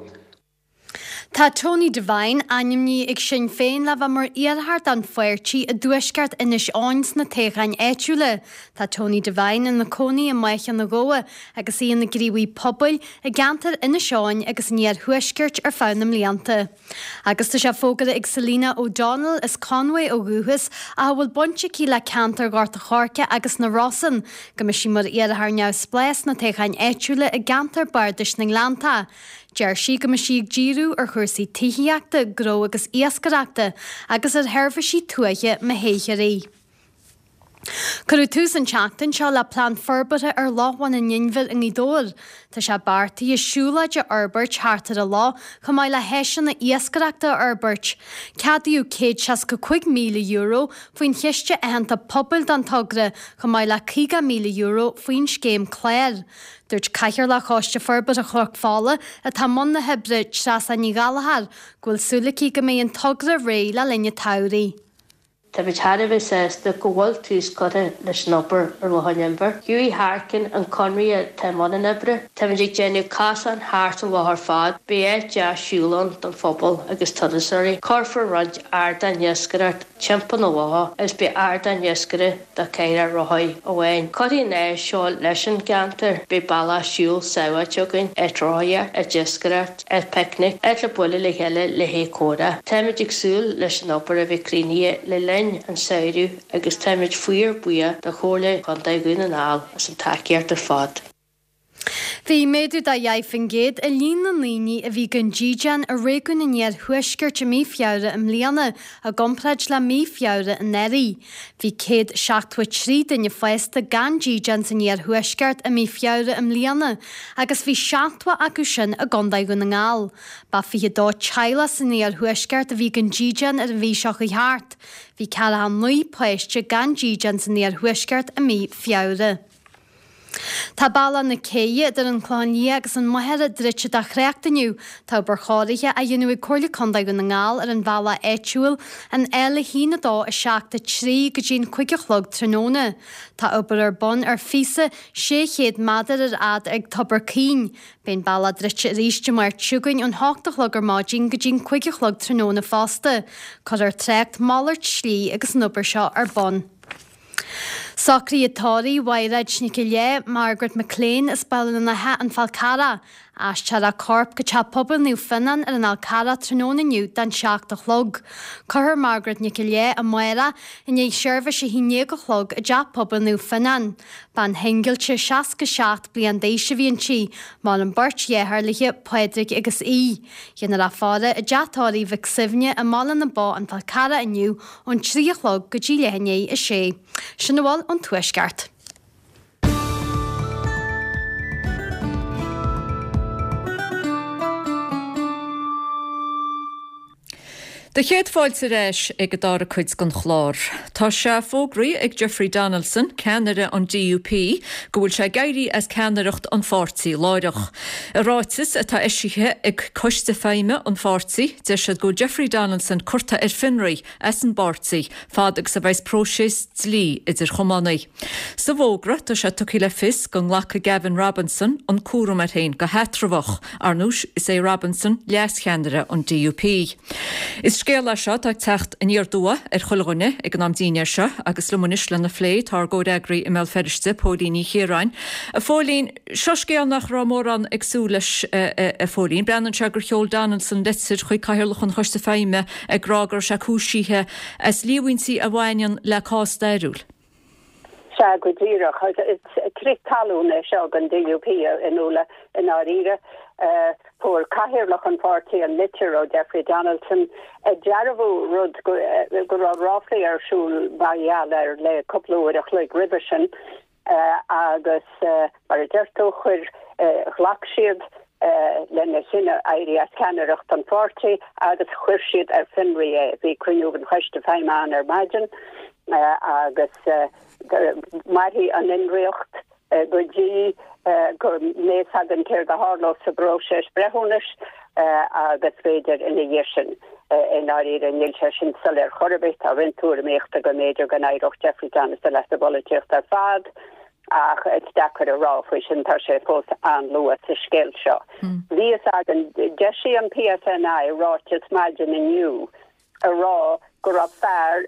Tá Tony Devine ainmnithe ag Sinn Féin le bheith mar iarrthóir don pháirtí i dtuaisceart Inis Eoghain sna toghcháin áitiúla. Tá Tony Devine ina cónaí i mBaile na Gabha agus í ina gníomhaí pobail i gceantar Inis Eoghain agus an iarthuaiscirt ar feadh na mblianta. Agus tá sé fógartha ag Selina O'Donnell as Conway ó dhúchas a bhfuil baint aici le ceantar Ghort an Choirce agus na Rosann, go mbeidh sí mar iarrthóir neamhspleách sna toghcháin áitiúla i gceantar Bardais na nGleannta. Deir sí go mbeidh sí ag díriú ar chúrsaí tithíochta, gnó agus iascaireachta agus ar sheirbhísí tuaithe má thoghtar í. Cuireadh tús an tseachtain seo le plean forbartha ar Loch Bhun an Inbhir i nGaoth Dobhair. Tá sé beartaithe siúlóid a fhorbairt thart ar an loch chomh maith le háiseanna iascaireachta a fhorbairt. Ceadaíodh céad seasca cúig míle euro faoin chiste aitheanta pobail don togra chomh maith le caoga míle euro faoin scéim cláir. Dúirt Cathaoirleach Choiste Forbartha Chnoc Fola atá i mbun na hoibre Treasa Ní Ghallchóir go bhfuil súil aici go mbeidh an togra réidh le linn an tsamhraidh. Táimid thar a bheith sásta go bhfuil tús curtha leis an obair ar Loch an Inbhir. Hughie Harkin an conradh atá i mbun an oibre. Táimid ag déanamh cosán thart an loch ar fad, beidh áit deas siúil ann don phobal agus turasóirí. Cuirfear roinnt ardán iascaireachta timpeall na locha agus beidh ardán iascaire do cheithre rothaí amháin. Cuirfidh an áis seo leis an gceantar, beidh bealach siúil sábháilte againn, áit rothaíocht, áit iascaireacht, áit picnic, áit le bualadh le chéile le haghaidh comhrá. Táimid ag súil leis an obair a bheith críochnaithe le linn an samhradh agus táimid fíor buíoch do Chomhairle Contae Dhún na nGall as an tacaíocht ar fad. Bhí méadú de dheich faoin gcéad i líon na ndaoine a bhí gan dídean i réigiún an iarthuaiscirt i mí Feabhra i mbliana i gcomparáid le mí Feabhra anuraidh. Bhí céad seachtó trí duine fásta gan dídean san iarthuaisceart i mí Feabhra i mbliana agus bhí seachtó acu sin i gContae Dhún na nGall. Ba fiche dó teaghlach san iarthuaisceart a bhí gan dídean ar an mhí seo chuaigh thart. Bhí ceathracha naoi páiste gan dídean san iarthuaisceart i mí Feabhra. Tá Bealach na Céidhe idir an Clochán Liath agus an Machaire druidte do thrácht inniu. Tá obair chóirithe á dhéanamh ag Comhairle Contae Dhún na nGall ar an bhealach áitiúil an L a haon a dó a seacht a trí go dtí an cúig a chlog tráthnóna. Tá obair ar bun ar phíosa sé chéad méadar ar fhad ag Tobar Caoin. Beidh an bealach druidte arís Dé Máirt seo chugainn ón hocht a chlog ar maidin go dtí an cúig a chlog tráthnóna fosta. Cuirfear trácht malairt slí agus an obair seo ar bun. Socruithe tórraimh Mhaighréad Nic Léith, Margaret McLean as Baile an Átha an Fál Carrach. Aistreofar a corp go Teach Pobail Naomh Fionnán ar an Fhál Carrach tráthnóna inniu don seacht a chlog. Cuirfear Margaret Nic an Léith amárach i ndiaidh seirbhís a haon déag a chlog i dTeach Pobail Naomh Fionnán. Bean shingilte seasca seacht bliain d'aois a bhí inti. Maireann beirt dheartháir léi, Pádraig agus Aodh. Déanfar í a fhaire i dTeach Tórraimh Mhic Suibhne i mBaile na Bó an Fál Carrach inniu ón trí a chlog go dtí leath i ndiaidh a sé. Sin a bhfuil ón Tuaisceart. Do chéad fáilte ar ais ag an dara cuid den chlár. Tá sé fógraithe ag Jeffrey Donaldson, ceannaire an D U P, go bhfuil sé ag éirí as ceannaireacht an pháirtí láithreach. I ráiteas atá eisithe ag Coiste Feidhme an pháirtí, deir siad go bhfuil Jeffrey Donaldson curtha ar fionraí as an bpáirtí fad agus a bheas próiseas dlí idir chamánaí. Sa bhfógra tá sé tugtha le fios go nglacfaidh Gavin Robinson an cúram air féin go heatramhach. Ar ndóigh, is é Robinson leascheannaire an D U P. Is scéal é seo atá ag teacht aniar aduaidh ar chuile dhuine ag an am dinnéir seo agus liom anois lena phlé tá ár gcomhfhreagraí i mBéal Feirste, Póilín Ní Chiaráin. A Phóilín, seo scéal nach raibh mórán ag súil leis a Phóilín. Breathnaíonn sé gur sheol Donaldson litir chuig Cathaoirleach an Choiste Feidhme ag rá go raibh sé cúisithe as líomhaintí a bhaineann le cás stairiúil. Sea, go díreach. Crith talún é seo don D U P in Uladh i ndáiríre. Fuair cathaoirleach an pháirtí an litir ó Jeffrey Donaldson ag dearbhú rud go raibh ráflaí ar siúl mar gheall air le cúpla uair a chloig roimhe sin agus mar a deir tú chuir ghlac siad lena chinneadh éirí as ceannaireacht an pháirtí agus chuir siad ar fionraí é. Bhí cruinniú an choiste feidhme ann ar maidin agus mairfidh an fhionraíocht go dtí go mbeidh againn céard a tharlós sa bpróiseas breithiúnais agus b'fhéidir ina dhiaidh sin. I ndáiríre níl sé sin soiléir chor ar bith. Tá roinnt tuairimíochta go mb'fhéidir go n-éireodh Jeffrey Donaldson as an bpolaitíocht ar fad ach is deacair a rá faoi sin, tá sé fós an-luath sa scéal seo. Bhí fhios againn, d'eisigh an P S N I ráiteas maidin inniu a rá go raibh fear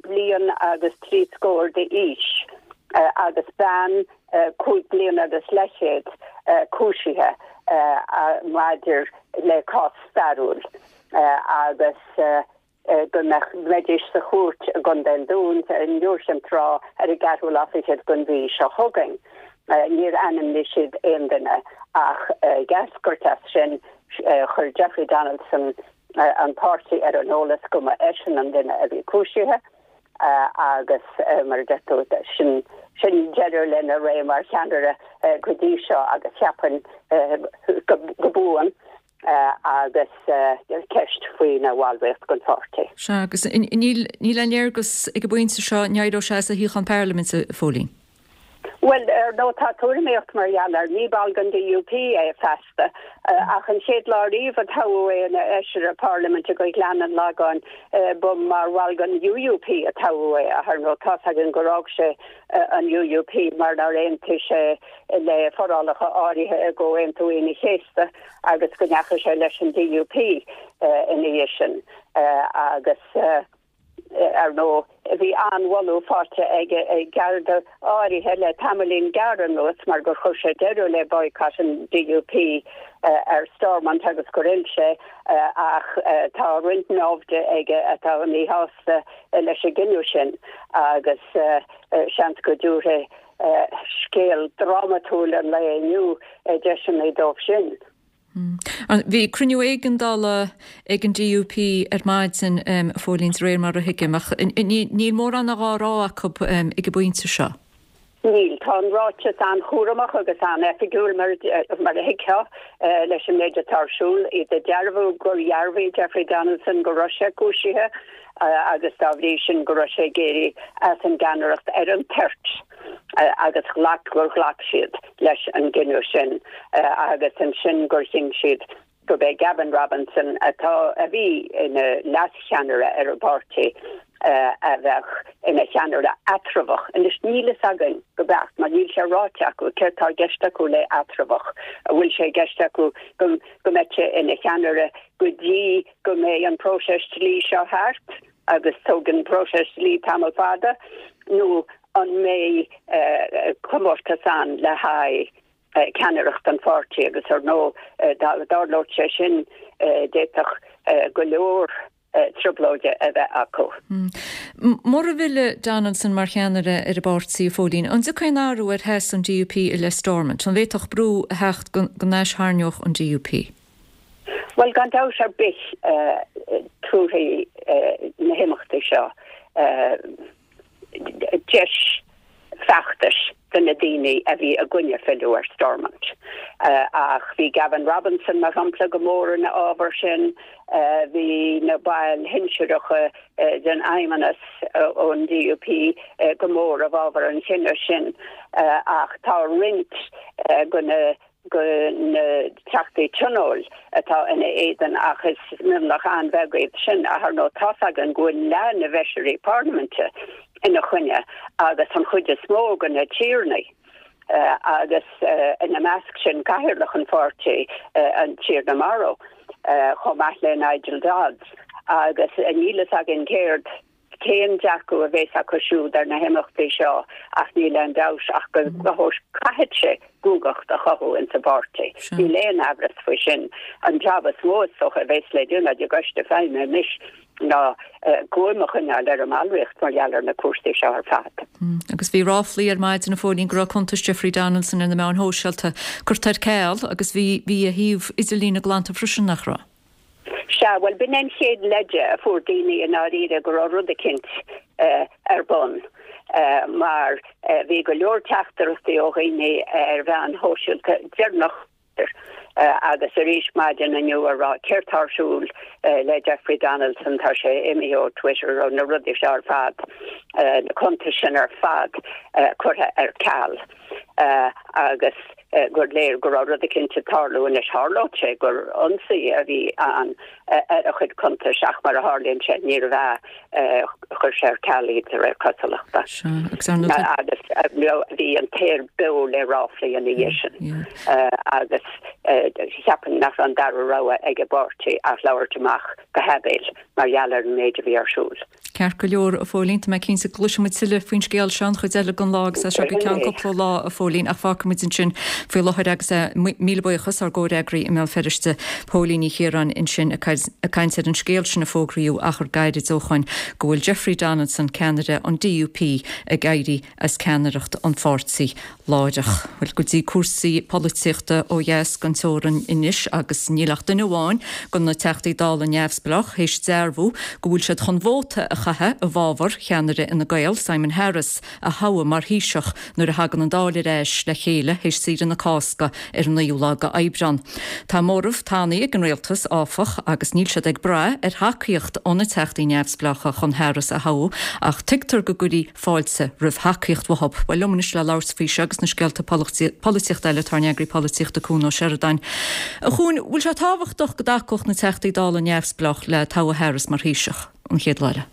bliain agus trí scór d'aois agus bean cúig bliana agus leathchéad cúisithe maidir le cás stairiúil agus go mbeidís sa chúirt i gContae an Dúin in Iúr Chinn Trá ar an gceathrú lá fichead den mhí seo chugainn. Níor ainmnigh siad aon duine ach ag eascairt as sin chuir Jeffrey Donaldson an páirtí ar an eolas go mba eisean an duine a bhí cúisithe agus mar a deir tú sin sin deireadh lena ré mar cheannaire go dtí seo agus cheapfainn go buan agus ceist faoina bhallraíocht den pháirtí. Sea, agus níl níl aon léargas ag an bpointe seo an éireoidh sé as a shuíochán parlaiminte, a Phóilín? Bhuel, ar ndóigh tá tuairimíocht mar gheall air, ní ball den D U P é feasta, ach an chéad lá riamh a toghadh é ina fheisire parlaiminte do Ghleann an Lagáin ba mar bhall den U U P a toghadh é, ach ar ndóigh tá's againn gur fhág sé an U U P mar nár aontaigh sé le forálacha áirithe i gComhaontú Aoine an Chéasta agus go ndeachaigh sé leis an D U P ina dhiaidh sin agus ar ndóigh bhí an-mholadh faighte ag ag Garda áirithe le tamaillín gearr anuas mar gur chuir sé deireadh le boycott an D U P ar Stormont agus gur fhill sé ach tá roinnt naimhde aige atá míshásta leis an gcinneadh sin agus seans go dtabharfaidh scéal drámatúil an lae inniu deiseanna dóibh sin. Bhí cruinniú éigeandála ag an D U P ar maidin, a Phóilín, de réir mar a thuigim, ach níl mórán á rá acu ag an bpointe seo. Níl. Tá an ráiteas an-chúramach agus an-oifigiúil mar mar a thuigfeá leis an méid atá ar siúl. Iad ag dearbhú gur dhearbhaigh Jeffrey Donaldson go raibh sé cúisithe agus dá bhrí sin go raibh sé ag éirí as an gceannaireacht ar an toirt agus ghlac gur ghlac siad leis an gcinneadh sin agus ansin gur chinn siad gurb é Gavin Robinson atá a bhí ina leascheannaire ar an bpáirtí a bheadh ina cheannaire eatramhach. Anois níl fhios againn go beacht mar níl sé ráite acu céard atá i gceist acu le eatramhach, an bhfuil sé i gceist acu go go mbeidh sé ina cheannaire go dtí go mbeidh an próiseas dlí seo thart agus tógann próiseas dlí tamall fada nó an mbeidh comórtas ann le haghaidh ceannaireacht an pháirtí agus ar ndóigh dá dtarlódh sé sin d'fhéadfadh go leor trioblóide a bheith acu. Mura bhfilleann Donaldson mar cheannaire ar an bpáirtí, a Phóilín, an dtiocfaidh aon athrú ar sheasamh an DUP i leith Stormont? An bhféadfadh brú a theacht go n-aistharraingeodh an DUP? Bhuel, gan dabht ar bith tabharfaidh na himeachtaí seo deis feachtais do na daoine a bhí i gcoinne filleadh ar Stormont. Ach bhí Gavin Robinson mar shampla go mór ina fhábhar sin, bhí na baill shinsearacha den Fheidhmeannas ón DUP go mór i bhfabhar an chinnidh sin. Ach tá roinnt de na de na teachtaí tionóil atá ina éadan ach is mionlach an-bheag iad sin. Ach ar ndóigh tá's againn go bhfuil leath na bhfeisirí parlaiminte ina choinne agus an chuid is mó de na tiarnaí agus ina measc sin cathaoirleach an pháirtí, an Tiarna Morrow, chomh maith le Nigel Dodds. Agus níl fhios againn céard cén dearcadh a bheas acu siúd ar na himeachtaí seo ach níl aon dabht ach go gcaithfidh sé guagacht a chothú insa bpáirtí. Níl aon amhras faoi sin. An jab is mó is dócha a bheas le déanamh ag an gcoiste feidhme anois ná guaim a choinneáil ar an mballraíocht mar gheall ar na cúrsaí seo ar fad. Agus bhí ráflaí ar maidin, a Phóilín, go raibh cuntas Jeffrey Donaldson ar na meáin shóisialta curtha ar ceal agus bhí bhí a shuíomh idirlíne glanta freisin, nach raibh? Sea, bhuel, b'in an chéad leide a fuair daoine i ndáiríre go raibh rud eicínt ar bun, mar bhí go leor teachtaireachtaí ó dhaoine ar mheáin shóisialta deireanach agus arís maidin inniu a rá céard tá ar siúl le Jeffrey Donaldson, tá sé imithe ó Twitter, ó na rudaí seo ar fad, na cuntais sin ar fad curtha ar ceal agus gur léir go raibh rud eicínt ag tarlú anois. Tharlódh sé gur ionsaí a bhí ann ar a chuid cuntais ach mar a tharlaíonn sé níorbh ea, chuir sé ar ceal iad de réir cosúlachta. Agus bhí an t-aer beo le ráflaí ina dhiaidh sin agus cheapfainn nach raibh an dara rogha ag an bpáirtí ach labhairt amach go haibéil mar gheall ar an méid a bhí ar siúl. Ceart go leor, a Phóilín, tá mé cinnte go gcloisfidh muid tuilleadh faoin scéal seo an chuid eile den lá agus as seo go ceann cúpla lá, a Phóilín, ach fágfaidh muid ansin faoi láthair agus míle buíochas ár gcomhfhreagraí i mBéal Feirste, Póilín Ní Chiaráin ansin ag caint ar an scéal sin a fógraíodh achar gairid ó shoin go bhfuil Jeffrey Donaldson, ceannaire an DUP, ag éirí as ceannaireacht an pháirtí láithreach. Bhuel, go dtí cúrsaí polaitíochta ó dheas den teorainn anois agus níl ach duine amháin de na Teachtaí Dála neamhspleách théis dearbhú go bhfuil siad chun vóta a chaitheamh i bhfabhar cheannaire Fhine Gael, Simon Harris, a thoghadh mar Thaoiseach nuair a thagann an Dáil ar ais le chéile théis saoire na Cásca ar an naoú lá d'Aibreán. Tá móramh tanaí ag an rialtas, áfach, agus níl siad ag brath ar thacaíocht ó na Teachtaí neamhspleácha chun Harris a thoghadh ach tuigtear go gcuirfí fáilte roimh thacaíocht uathu. Bhuel, liom anois le labhairt faoi seo agus na scéalta polaitíochta eile tá ár n-eagraí polaitíochta Cuan Ó Seireadáin. A Chuain, bhfuil sé tábhachtach go dtacódh na Teachtaí Dála neamhspleách le toghadh Harris mar Thaoiseach an chéad lá eile?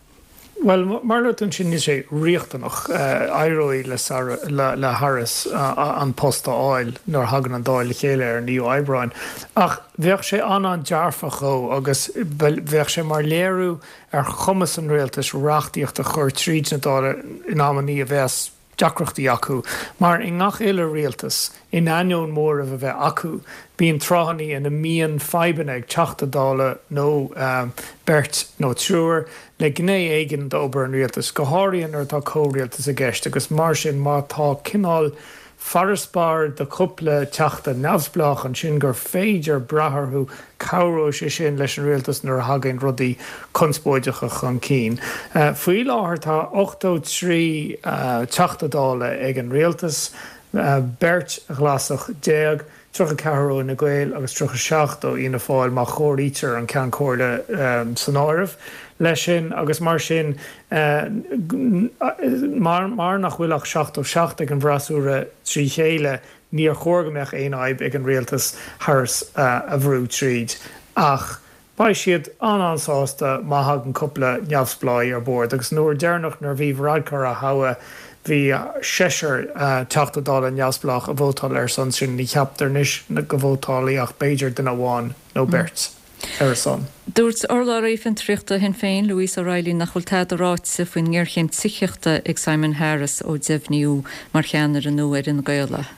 Bhuel, mar a luaigh tú ansin, níl sé riachtanach. Éireoidh le le Harris an post a fháil nuair a thagann an Dáil le chéile ar an naoú Aibreán. Ach bheadh sé an-an-dearfach dhó agus bheadh sé mar léiriú ar chumas an rialtais reachtaíocht a chur tríd na Dála in amannaí a bheas deacrachtaí acu, mar i ngach uile rialtas, in ainneoin móramh a bheith acu, bíonn tráthannaí ina mbíonn fadhbanna ag Teachta Dála nó beirt nó triúr le gné éigin d'obair an rialtais, go háirithe nuair atá comhrialtas i gceist, agus mar sin má tá cineál farasbarr de chúpla teachta neamhspleách ansin gur féidir brath orthu, cabhróidh sé sin leis an rialtas nuair a thagann rudaí conspóideacha chun cinn. Faoi láthair tá ochtó trí Teachta Dála ag an rialtas, beirt Ghlasach déag, tríocha ceathair ó Fhine Gael agus tríocha seacht ó Fhianna Fáil má chomhairítear an Ceann Comhairle san áireamh leis sin agus mar sin mar mar nach bhfuil ach seachtó seacht ag an bhfreasúra trí chéile níor chóir go mbeadh aon fhadhb ag an rialtas Harris a bhrú tríd ach Beidh siad an-an-sásta má thagann cúpla neamhspleáigh ar bord agus an uair deireanach nuair a bhí Varadkar á thoghadh bhí seisear Teachta Dála neamhspleách a vótáil ar a son sin. Ní cheaptar anois go vótálfaidh ach b'fhéidir duine amháin nó beirt ar a son. Dúirt urlabhraí fiontraíochta Shinn Féin, Louise O'Reilly nach bhfuil tada ráite faoin ngéarchéim tithíochta ag Simon Harris ó deimhníodh mar cheannaire nua ar Fhine Gael é.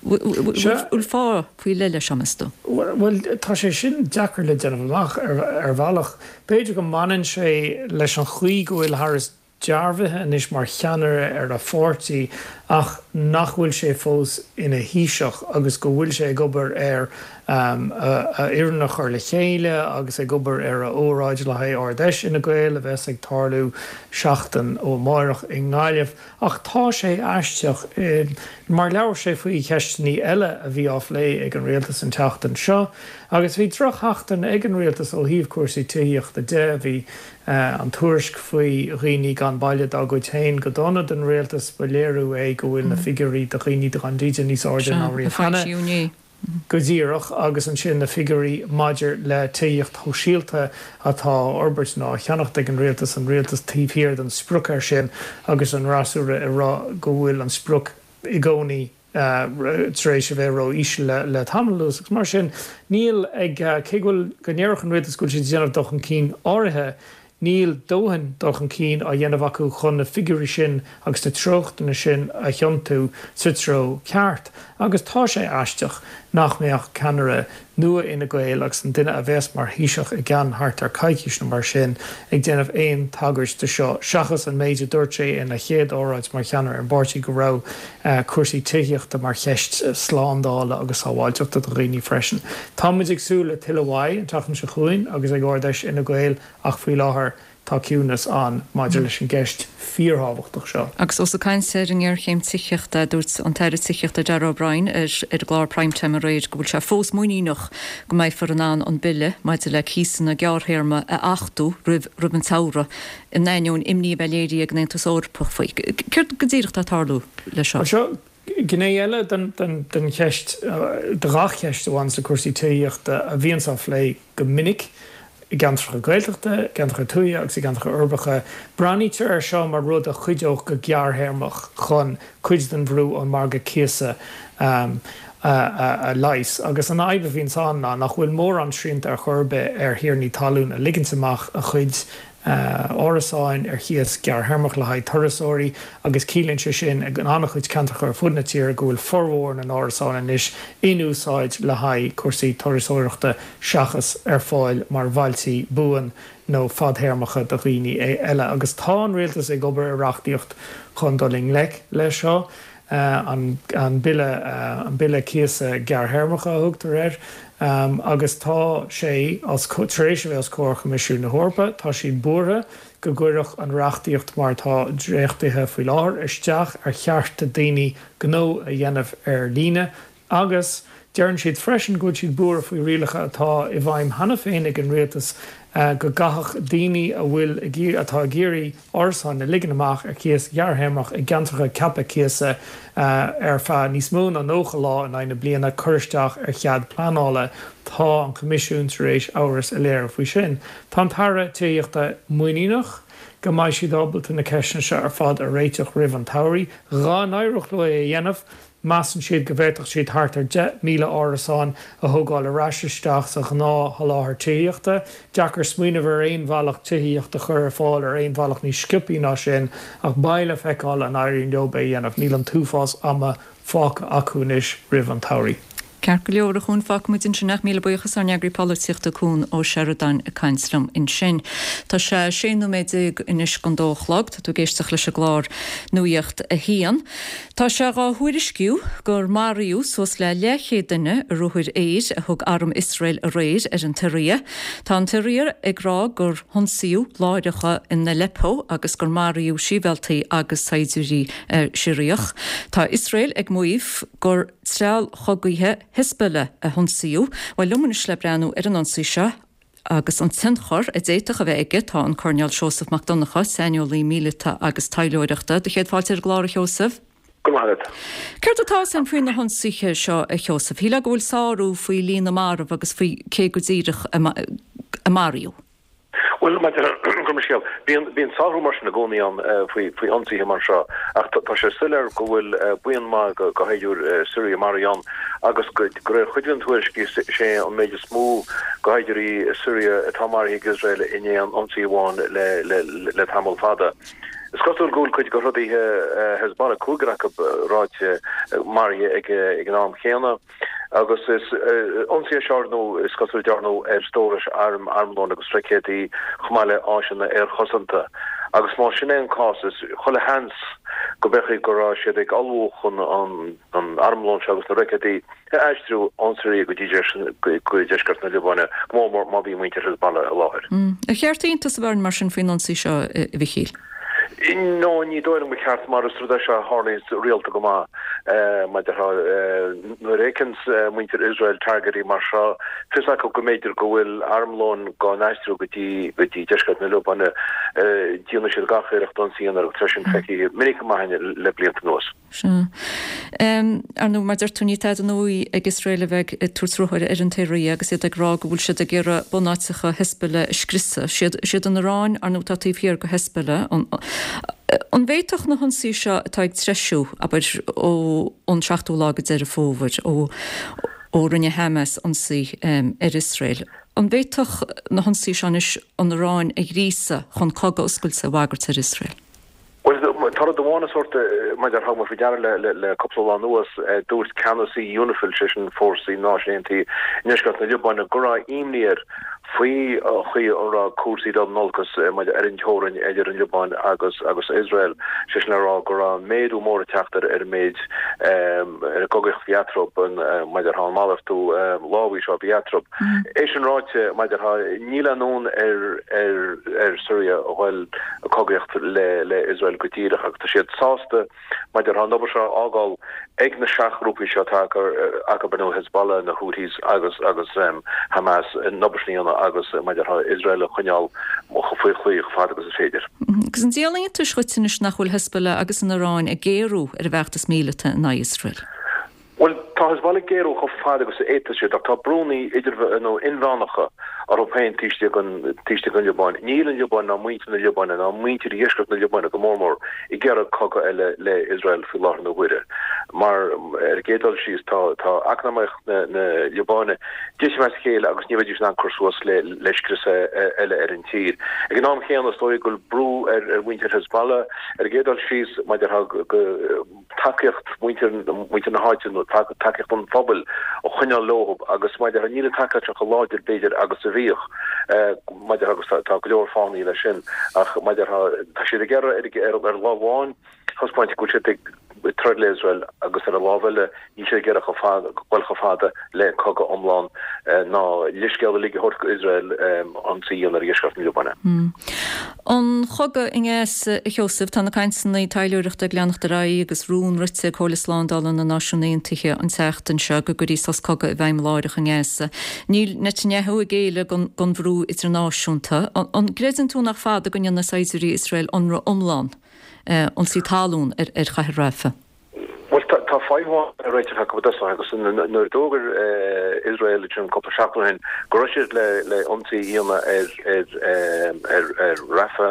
Bhfuil fáth faoi leith leis seo, meas tú? Bhuel, tá sé sin deacair le déanamh amach ar bhealach. B'fhéidir go mbaineann sé leis an chaoi go bhfuil Harris dearbhaithe anois mar cheannaire ar a pháirtí ach nach bhfuil sé fós ina Thaoiseach agus go bhfuil sé ag obair ar a fhoireann a chur le chéile agus ag obair ar a óráid le haghaidh Ard-Fheis Fhine Gael a bheas ag tarlú seachtain ó amárach i nGaillimh. Ach tá sé aisteach mar labhair sé faoi cheisteanna eile a bhí á phlé ag an rialtas an tseachtain seo agus bhí drochsheachtain ag an rialtas ó thaobh cúrsaí tithíochta de. Bhí an tuairisc faoi dhaoine gan baile dá gcuid féin go dona don rialtas, ba léiriú é go bhfuil na figiúirí do dhaoine gan dídean níos airde ná riamh cheana. Go díreach, agus ansin na figiúirí maidir le tithíocht shóisialta atá á fhorbairt nó á cheannacht ag an rialtas, an rialtas taobh thiar den sprioc air sin agus an fhreasúra ag rá go bhfuil an sprioc i gcónaí tar éis a bheith ró-íseal le tamall anuas agus mar sin níl ag, cé go bhfuil, go ndéarfadh an rialtas go bhfuil siad ag déanamh dul chun cinn áirithe, níl dóthain dul chun cinn á dhéanamh acu chun na figiúirí sin agus na treochtanna sin a thiontú sa treo ceart. Agus tá sé aisteach nach mbeadh ceannaire nua Fhine Gael agus an duine a bheas mar Thaoiseach i gceann thart ar coicís nó mar sin ag déanamh aon tagairt do seo seachas an méid a dúirt sé ina chéad óráid mar cheannaire ar an bpáirtí go raibh cúrsaí tithíochta mar cheist slándála agus sábháilteachta do dhaoine freisin. Tá muid ag súil le tuilleadh uaidh an tseachtain seo chugainn agus ag Ard-Fheis Fhine Gael ach faoi láthair tá ciúnas ann maidir leis an gceist fíorthábhachtach seo. Agus ós ag caint ar an ngéarchéim tithíochta, dúirt an tAire Tithíochta Darragh O'Brien ar an gclár Prime Time aréir go bhfuil sé fós muiníneach go mbeifear in ann an bille maidir le cíosanna gearrthéarma a achtú roimh roimh an tsamhradh, in ainneoin imní a bheith léirithe ag an Aontas Eorpach faoi. Céard go díreach atá ag tarlú leis seo? Bhuel, seo gné eile den cheist, de ghach cheist a bhaineanns le cúrsaí tithíochta a bhíonns á phlé go minic. i gceantracha Gaeltachta, i gceantracha tuaithe agus i gceantracha uirbeacha. Breathnaítear air seo mar rud a chuideodh go gearrthéarmach chun cuid den bhrú ón margadh cíosa a leigheas. Agus an fhadhb a bhíonns ann ná nach bhfuil mórán srianta ar chor ar bith ar thiarnaí talún a ligint amach a chuid árasáin ar chíos gearrthéarmach le haghaidh turasóirí agus ciallaíonn sé sin in an-chuid ceantracha ar fud na tíre go bhfuil formhór na n-árasán anois in úsáid le haghaidh cúrsaí turasóireachta seachas ar fáil mar bhailtí buan nó fadthéarmacha do dhaoine eile. Agus tá an rialtas ag obair ar reachtaíocht chun dul i ngleic leis seo. an Bille, an Bille Cíosa Gearrthéarmacha a thugtar air, agus tá sé tar éis a bheith os comhair Choimisiún na hEorpa. Tá siad buartha go gcuirfeadh an reachtaíocht mar atá dréachtaithe faoi láthair isteach ar chearta daoine gnó a dhéanamh ar líne agus deireann siad freisin go bhfuil siad buartha faoi rialacha atá i bhfeidhm cheana féin ag an rialtas go gcaithfeadh daoine a bhfuil atá ag iarraidh árasáin a ligean amach ar chíos ghearrthéarmach i gceantracha ceaptha cíosa ar feadh níos mó ná nócha lá in aghaidh na bliana cur isteach ar chead pleanála. Tá an Coimisiún tar éis amhras a léiriú faoi sin. Tá an tAire Tithíochta muiníneach go mbeidh siad ábalta na ceisteanna seo ar fad a réiteach roimh an tsamhradh. Dhá n-éireodh leo é a dhéanamh, Measann siad go bhféadfadh siad thart ar deich míle árasán a thógáil ar ais isteach sa ghnáthsholáthar tithíochta. Deacair smaoineamh ar aon bhealach tithíocht a chur ar fáil ar aon bhealach níos sciobthaí ná sin, ach beidh le feiceáil an éiríonn leo é a dhéanamh. Níl an t-uafás ama fágtha acu anois roimh an tsamhradh. Ceart go leor, a Chuain, fágfaidh muid ansin é. Míle buíochas ár n-eagraí polaitíochta Cuan Ó Seireadáin ag caint liom ansin. Tá sé sé nóiméad déag anois don dó a chlog. Tá tú ag éisteacht leis an gclár Nuacht a hAon. Tá sé dhá thuairisciú gur maraíodh suas le leathchéad duine i ruathair aeir a thug arm Iosrael aréir ar an tSiria. Tá an tSiria ag rá gur hionsaíodh láithreacha in Aleppo agus gur maraíodh sibhialtaigh agus saighdiúirí Siriach. Tá Iosrael ag maíomh gur treallchogaithe Hezbollah a hionsaíodh. Bhuel, liom anois le breathnú ar an ionsaí seo agus an tionchar a d'fhéadfadh a bheith aige tá an Coirnéal Seosamh Mac Donncha, saineolaí míleata agus taidhleoireachta. Do chéad fáilte ar an gclár, a Sheosaimh. Go raibh maith agat. Céard atá 'fhios a'inn faoi na hionsaithe seo, a Sheosaimh? Shílfeá go bhfuil sárú faoi líon na marbh agus faoi cé go díreach a maraíodh. Bhuel, gabh mo leithscéal, bíonn bíonn saothrú mar sin i gcónaí ann faoi faoi ionsaithe mar seo ach tá sé soiléir go bhfuil buíon maith de shaighdiúirí Syria maraithe ann agus de réir chuid de na tuairiscí is é an méid is mó de shaighdiúirí Syria atá maraithe ag Iosrael in aon ionsaí amháin le le le tamall fada. Is cosúil go bhfuil cuid de throdaithe Hezbollah, cúigear acu ráite, maraithe ag ag an am chéanna. Agus is ionsaí é seo ar ndóigh, is cosúil a dearnadh ar stórais arm, armlóin agus roicéadaí chomh maith le áiseanna aerchosanta. Agus más sin é an cás, is chuile sheans go mb'fhéidir go raibh siad ag ullmhú chun an armlón seo agus na roicéadaí a aistriú ón Siria go dtí deisceart na Liobáine, go mór mór má bhí muintir Hezbollah i láthair. Ar cheart iontas a bheith orainn mar sin faoin ionsaí seo, a Mhichíl? No, ní dóigh liom gur cheart mar is rud é seo a tharlaíonns rialta go maith. Mar a déarfá, nuair a fheiceanns muintir Iosrael targaidí mar seo, fios acu go mb'fhéidir go bhfuil armlón dhá n-aistriú go dtí go dtí deisceart na Liobáine, déanfaidh siad gach iarracht ionsaí a dhéanamh agus tá sin feicthe minic go maith againn le blianta anuas. Sea. Ar ndóigh, mar deir tú, ní tada nua ag Iosrael a bheith ag tabhairt ruathair ar an tSiria agus iad ag rá go bhfuil siad ag iarraidh bunáiteacha Hezbollah a scriosadh. Is iad an Iaráin, ar ndóigh, atá taobh thiar de Hezbollah. An bhféadfadh na hionsaithe seo atá ag treisiú, abair, ón seachtú lá de Deireadh Fómhair, ó ó rinne Hamas ionsaí ar Iosrael, an bhféadfadh na hionsaithe seo anois an Iaráin a ghríosadh chun cogadh oscailte a bhagairt ar Iosrael? Bhuel, tá rud amháin a sórt, mar a déarfá, thug mé faoi deara le le cúpla lá anuas, dúirt ceannasaí Unifil, sé sin fórsaí na Náisiún Aontaithe i ndeisceart na Liobáine, go raibh imní air faoi chaoi a raibh cúrsaí ag dul in olcas ar an teorainn idir an Liobáin agus agus Iosrael, sé sin le rá go raibh méadú mór ag teacht ar an méid ar an gcogaíocht a bhí eatarthu, mar a déarfá an malartú lámhaigh seo a bhí eatarthu. É sin ráite, mar a déarfá, níl aon fhonn ar ar ar Syria a dhul ag cogaíocht le le Iosrael go díreach agus tá siad sásta mar a déarfá an obair seo a fhágáil ag na seachghrúpaí seo atá acu ar ndóigh Hezbollah, na Houthis agus agus Hamas an obair sin a dhéanamh agus mar a déarfá Iosrael a choinneáil faoi chlaí chomh fada agus is féidir. Agus an díol iontais dhuit anois nach bhfuil Hezbollah agus an Iaráin ag géarú ar a bhfeachtas míleata in aghaidh Iosrael? Bhuel, tá Hezbollah ag géarú chomh fada agus a fhéadfas siad, ach tá brúnna idir, nó inmheánacha orthu féin taobh istigh den, taobh istigh den Liobáin. Níl an Liobáin ná muintir na Liobáine ná muintir dheisceart na Liobáine go mór mór ag iarraidh cogadh eile le Iosrael faoi láthair na huaire. Mar, ar an gcéad dul síos, tá, tá eacnamaíocht na, na Liobáine ag titim as a chéile agus ní bheidís in ann cur suas le, le scriosadh eile ar an tír. Ag an am chéanna, is dóigh go bhfuil brú ar, ar mhuintir Hezbollah, ar an gcéad dul síos, mar a déarfá go, tacaíocht mhuintir muintir na háite nó tacaíocht an phobail a choinneáil leo agus mar a déarfá níl an tacaíocht seo chomh láidir b'fhéidir agus a bhíodh mar a déarfá agus tá go leor fáthanna leis sin ach mar a déarfá tá siad ag iarraidh ar ar lámh amháin taispeáint go bhfuil siad ag troid le Iosrael agus ar an lámh eile níl siad ag iarraidh chomh fada dul chomh fada le cogadh iomlán ná leithscéal uilig a thabhairt go Iosrael ionsaí a dhéanamh ar dheisceart na Liobáine. An chogadh i nGaza, a Sheosaimh, tá na cainteanna taidhleoireachta ag leanacht ar aghaidh agus rún rite ag Comhairle Slándála na Náisiún Aontaithe an tseachtain seo go gcuirfí sos cogaidh i bhfeidhm láithreach i nGaza. Níl Netanyahu ag géilleadh don bhrú idirnáisiúnta. An gcreideann tú nach fada go ndéanfaidh saighdiúirí Iosrael ionradh iomlán, ionsaí talún, ar chathair Rafah? Bhuel, tá fadhb amháin le réiteach acu i dtosach agus nuair a d'fhógair Iosrael ansin cúpla seachtain ó shin go raibh siad le ionsaí a dhéanamh ar ar Rafah,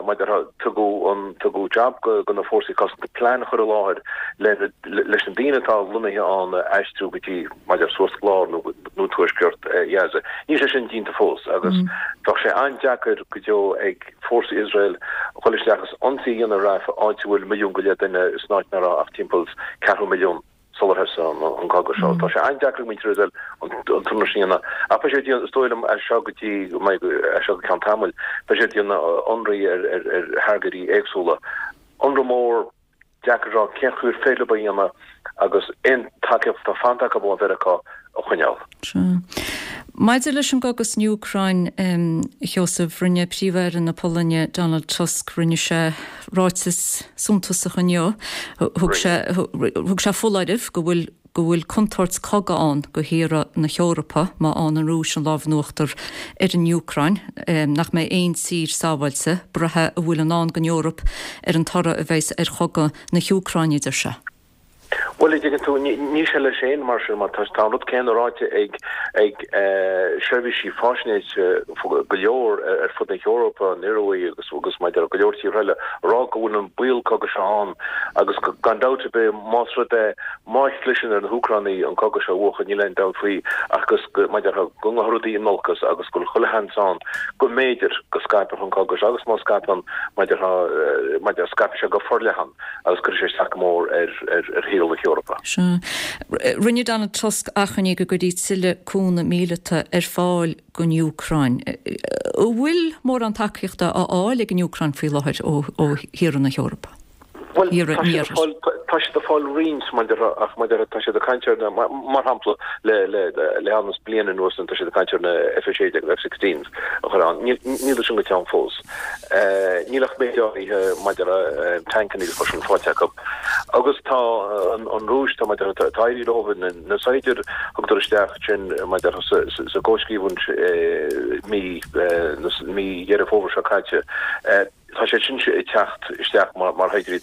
mar a déarfá, tugadh an tugadh jab do na fórsaí cosanta plean a chur i láthair leis na daoine atá lonnaithe ann a aistriú go dtí, mar a déarfá, suas lár nó nó tuaisceart Ghaza. Níl sé sin déanta fós agus bheadh sé an-deacair go deo ag fórsaí Iosrael dhul isteach agus ionsaí a dhéanamh ar Rafah, áit a bhfuil milliún go leith duine san áit nach raibh ach timpeall is ceathrú milliún sular thosaigh an cogadh seo. Tá sé an-deacair ag muintir Iosrael an t-ionradh sin a dhéanamh. Ach beidh siad ag déanamh, is dóigh liom, as seo go dtí go mbeidh, as seo go ceann tamaill, beidh siad ag déanamh ionraí ar ar thargaidí éagsúla. Ionradh mór. Deacair a rá cén chaoi ar féidir leo é a dhéanamh agus aon tacaíocht atá fanta acu ó Mheiriceá a choinneáil. Sea. Maidir leis an gcogadh san Úcráin, a Sheosaimh, rinne Príomh-Aire na Polainne, Donald Tusk, rinne sé ráiteas suntasach inniu. Thug sé, thug sé foláireamh go bhfuil, go bhfuil contúirt cogaidh ann do thíortha na hEorpa má fhaigheann an Rúis an lámh in uachtar ar an Úcráin, nach mbeidh aon tír sábháilte, braithfidh a bhfuil i ndán don Eoraip ar an toradh a bheas ar chogadh na hÚcráine, a deir sé. Bhuel, a dtuigeann tú, níl sé leis féin mar sin, mar tá an rud céanna ráite ag ag seirbhísí faisnéise go leor ar fud na hEorpa, an Ioruaidh agus agus maidir le go leor tíortha eile, a rá go bhfuil an baol cogaidh seo ann agus gan dabht ar bith más rud é má chliseann ar na hÚcránaigh an cogadh seo a bhuachan, níl aon dabht faoi ach go maidir go ngabhfaidh rudaí in olcas agus go bhfuil chuile sheans ann go mb'fhéidir go scaipfeadh an cogadh seo agus má scaipeann maidir maidir scaipfidh sé go forleathan agus cuirfidh sé isteach go mór ar ar shaol na hEorpa. Sea. Rinne Donald Tusk achainí go gcuirfí tuilleadh cúnamh míleata ar fáil don Úcráin. An bhfuil mórán tacaíochta á fháil ag an Úcráin faoi láthair ó thíortha na hEorpa? Bhuel, tá siad ag fáil, tá siad ag fáil roinnt maidir ach maidir tá siad ag caint ar na, mar shampla, le le le hanas bliain anuas tá siad ag caint ar na F a sé déag, F sixteens a chur ann. Níl níl sin go teann fós. Níl ach méid áirithe maidir le tancanna agus mar sin faighte acu. Agus tá an Rúis, tá maidir tá éirithe leo na saighdiúirí a thugadar isteach sin maidir sa gcomhscríobhaint mí mí Dheireadh Fómhair seo caite, tá sé sin ag teacht isteach mar shaighdiúirí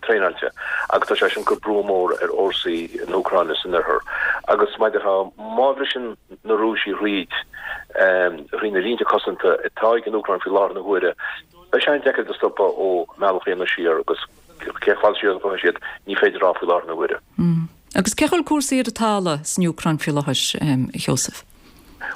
traenáilte agus tá sé sin ag cur brú mór ar fhórsaí na hÚcráine san oirthear. Agus maidir má bhriseann na Rúisigh thríd thrí na línte cosanta atá ag an Úcráin faoi láthair na huaire, beidh sé an-deacair iad a stopadh ó mbealach a dhéanamh siar agus cé chomh fada siar a ghabhfaidh siad, ní féidir a rá faoi láthair na huaire. Agus cén chaoi a bhfuil cúrsaí ar an talamh san Úcráin faoi láthair, a Sheosaimh?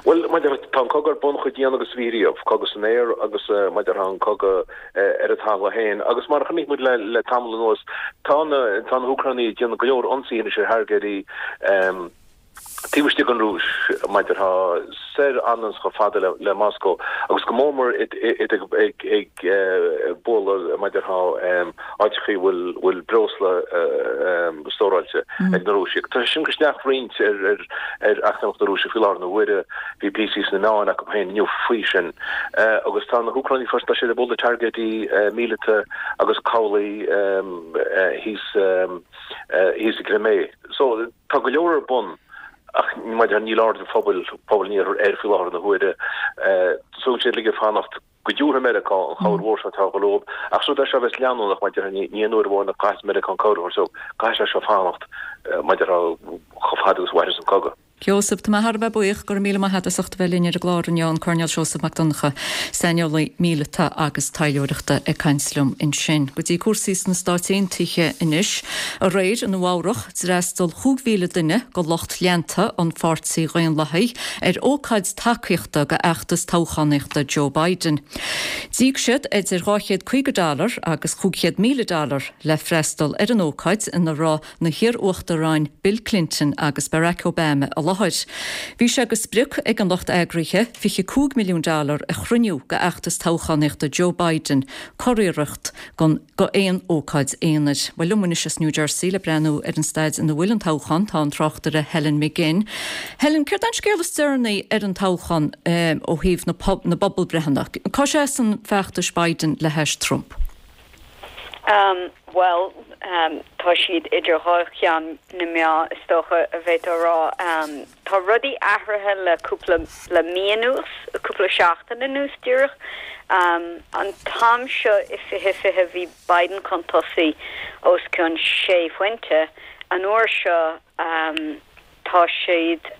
Bhuel, maidir, tá an cogadh ar bun chomh dian agus a bhí riamh, cogadh san aer agus maidir tá an cogadh ar an talamh féin. Agus mar a chonaic muid le le tamall anuas, tá na tá na hÚcránaigh ag déanamh go leor ionsaithe anois ar thairgéidí taobh istigh den Rúis, maidir tá soir anonn chomh fada le Moscó agus go mór mór iad ag bualadh maidir tá áiteachaí a bhfuil breosla stóráilte ag na Rúisigh. Tá sé sin ag cur isteach roinnt ar eacnamaíocht na Rúise faoi láthair na huaire. Bhí píosaí sna meáin acu féin inniu faoi sin. Agus tá na hÚcránaigh freisin, tá siad ag bualadh targaidí míleata agus cabhlaigh thíos thíos i gCrimea. So, tá go leor ar bun ach maidir níl aird an phobail, pobal an iarthair air faoi láthair na huaire. Tá siad uilig ag fanacht go dtabharfaidh Meiriceá an chabhair mhór seo atá ag dul leo ach is rud é seo a bheas leanúnach maidir ní ní aon uair amháin a chaithfeas Meiriceá an cabhair a thabhairt so caithfidh sé seo fanacht maidir chomh fada agus a mhairfeas an cogadh. Sheosamh, tá mé thar a bheith buíoch, go raibh míle maith agat as ucht a bheith linn ar an gclár inniu, an Coirnéal Seosamh Mac Donncha, saineolaí míleata agus taidhleoireachta ag caint liom ansin. Go dtí cúrsaí sna Stáit Aontaithe anois. Aréir i Nua Eabhrach, d'fhreastail chúig mhíle duine de lucht leanta an Pháirtí Dhaonlathaigh ar ócáid tacaíochta do fheachtas toghchánaíochta Joe Biden. D'íoc siad idir dhá chéad caoga dollar agus chúig chéad míle dollar le freastal ar an ócáid ina raibh na hiar-uachtaráin Bill Clinton agus Barack Obama i láthair. Bhí sé de sprioc ag an lucht eagraithe fiche cúig milliún dollar a chruinniú do fheachtas toghchánaíochta Joe Biden, curiarracht go aon ócáid aonair. Bhuel, liom anois as New Jersey le breathnú ar an staid ina bhfuil an toghchán tá an tráchtaire Helen McGinn. Helen, céard é an scéal is deireanaí ar an toghchán ó thaobh na bpobalbhreitheanna? Cá seasann feachtas Biden le hais Trump? Um, bhuel, um, tá siad idir dhá cheann na meá is dócha a bheith á rá. Um, tá rudaí athraithe le cúpla le mí anuas, cúpla seachtain anuas díreach. Um, an t-am seo i fiche fiche bhí Biden chun tosaigh os cionn sé phointe. An uair seo um, tá siad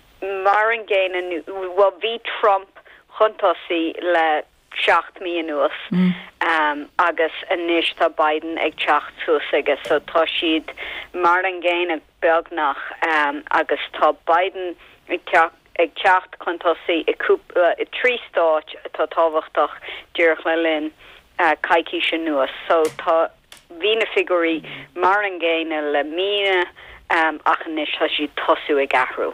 mar an gcéanna, well bhí Trump chun tosaigh le seacht mí anuas um, agus anois tá Biden ag teacht suas aige so tá siad mar an gcéanna beagnach um, agus tá Biden ag teacht ag teacht chun tosaigh i cúpla i trí stáit atá tábhachtach díreach le linn uh, coicís anuas so tá bhí na figiúirí mar an gcéanna le míonna um, ach anois tá siad tosú ag athrú.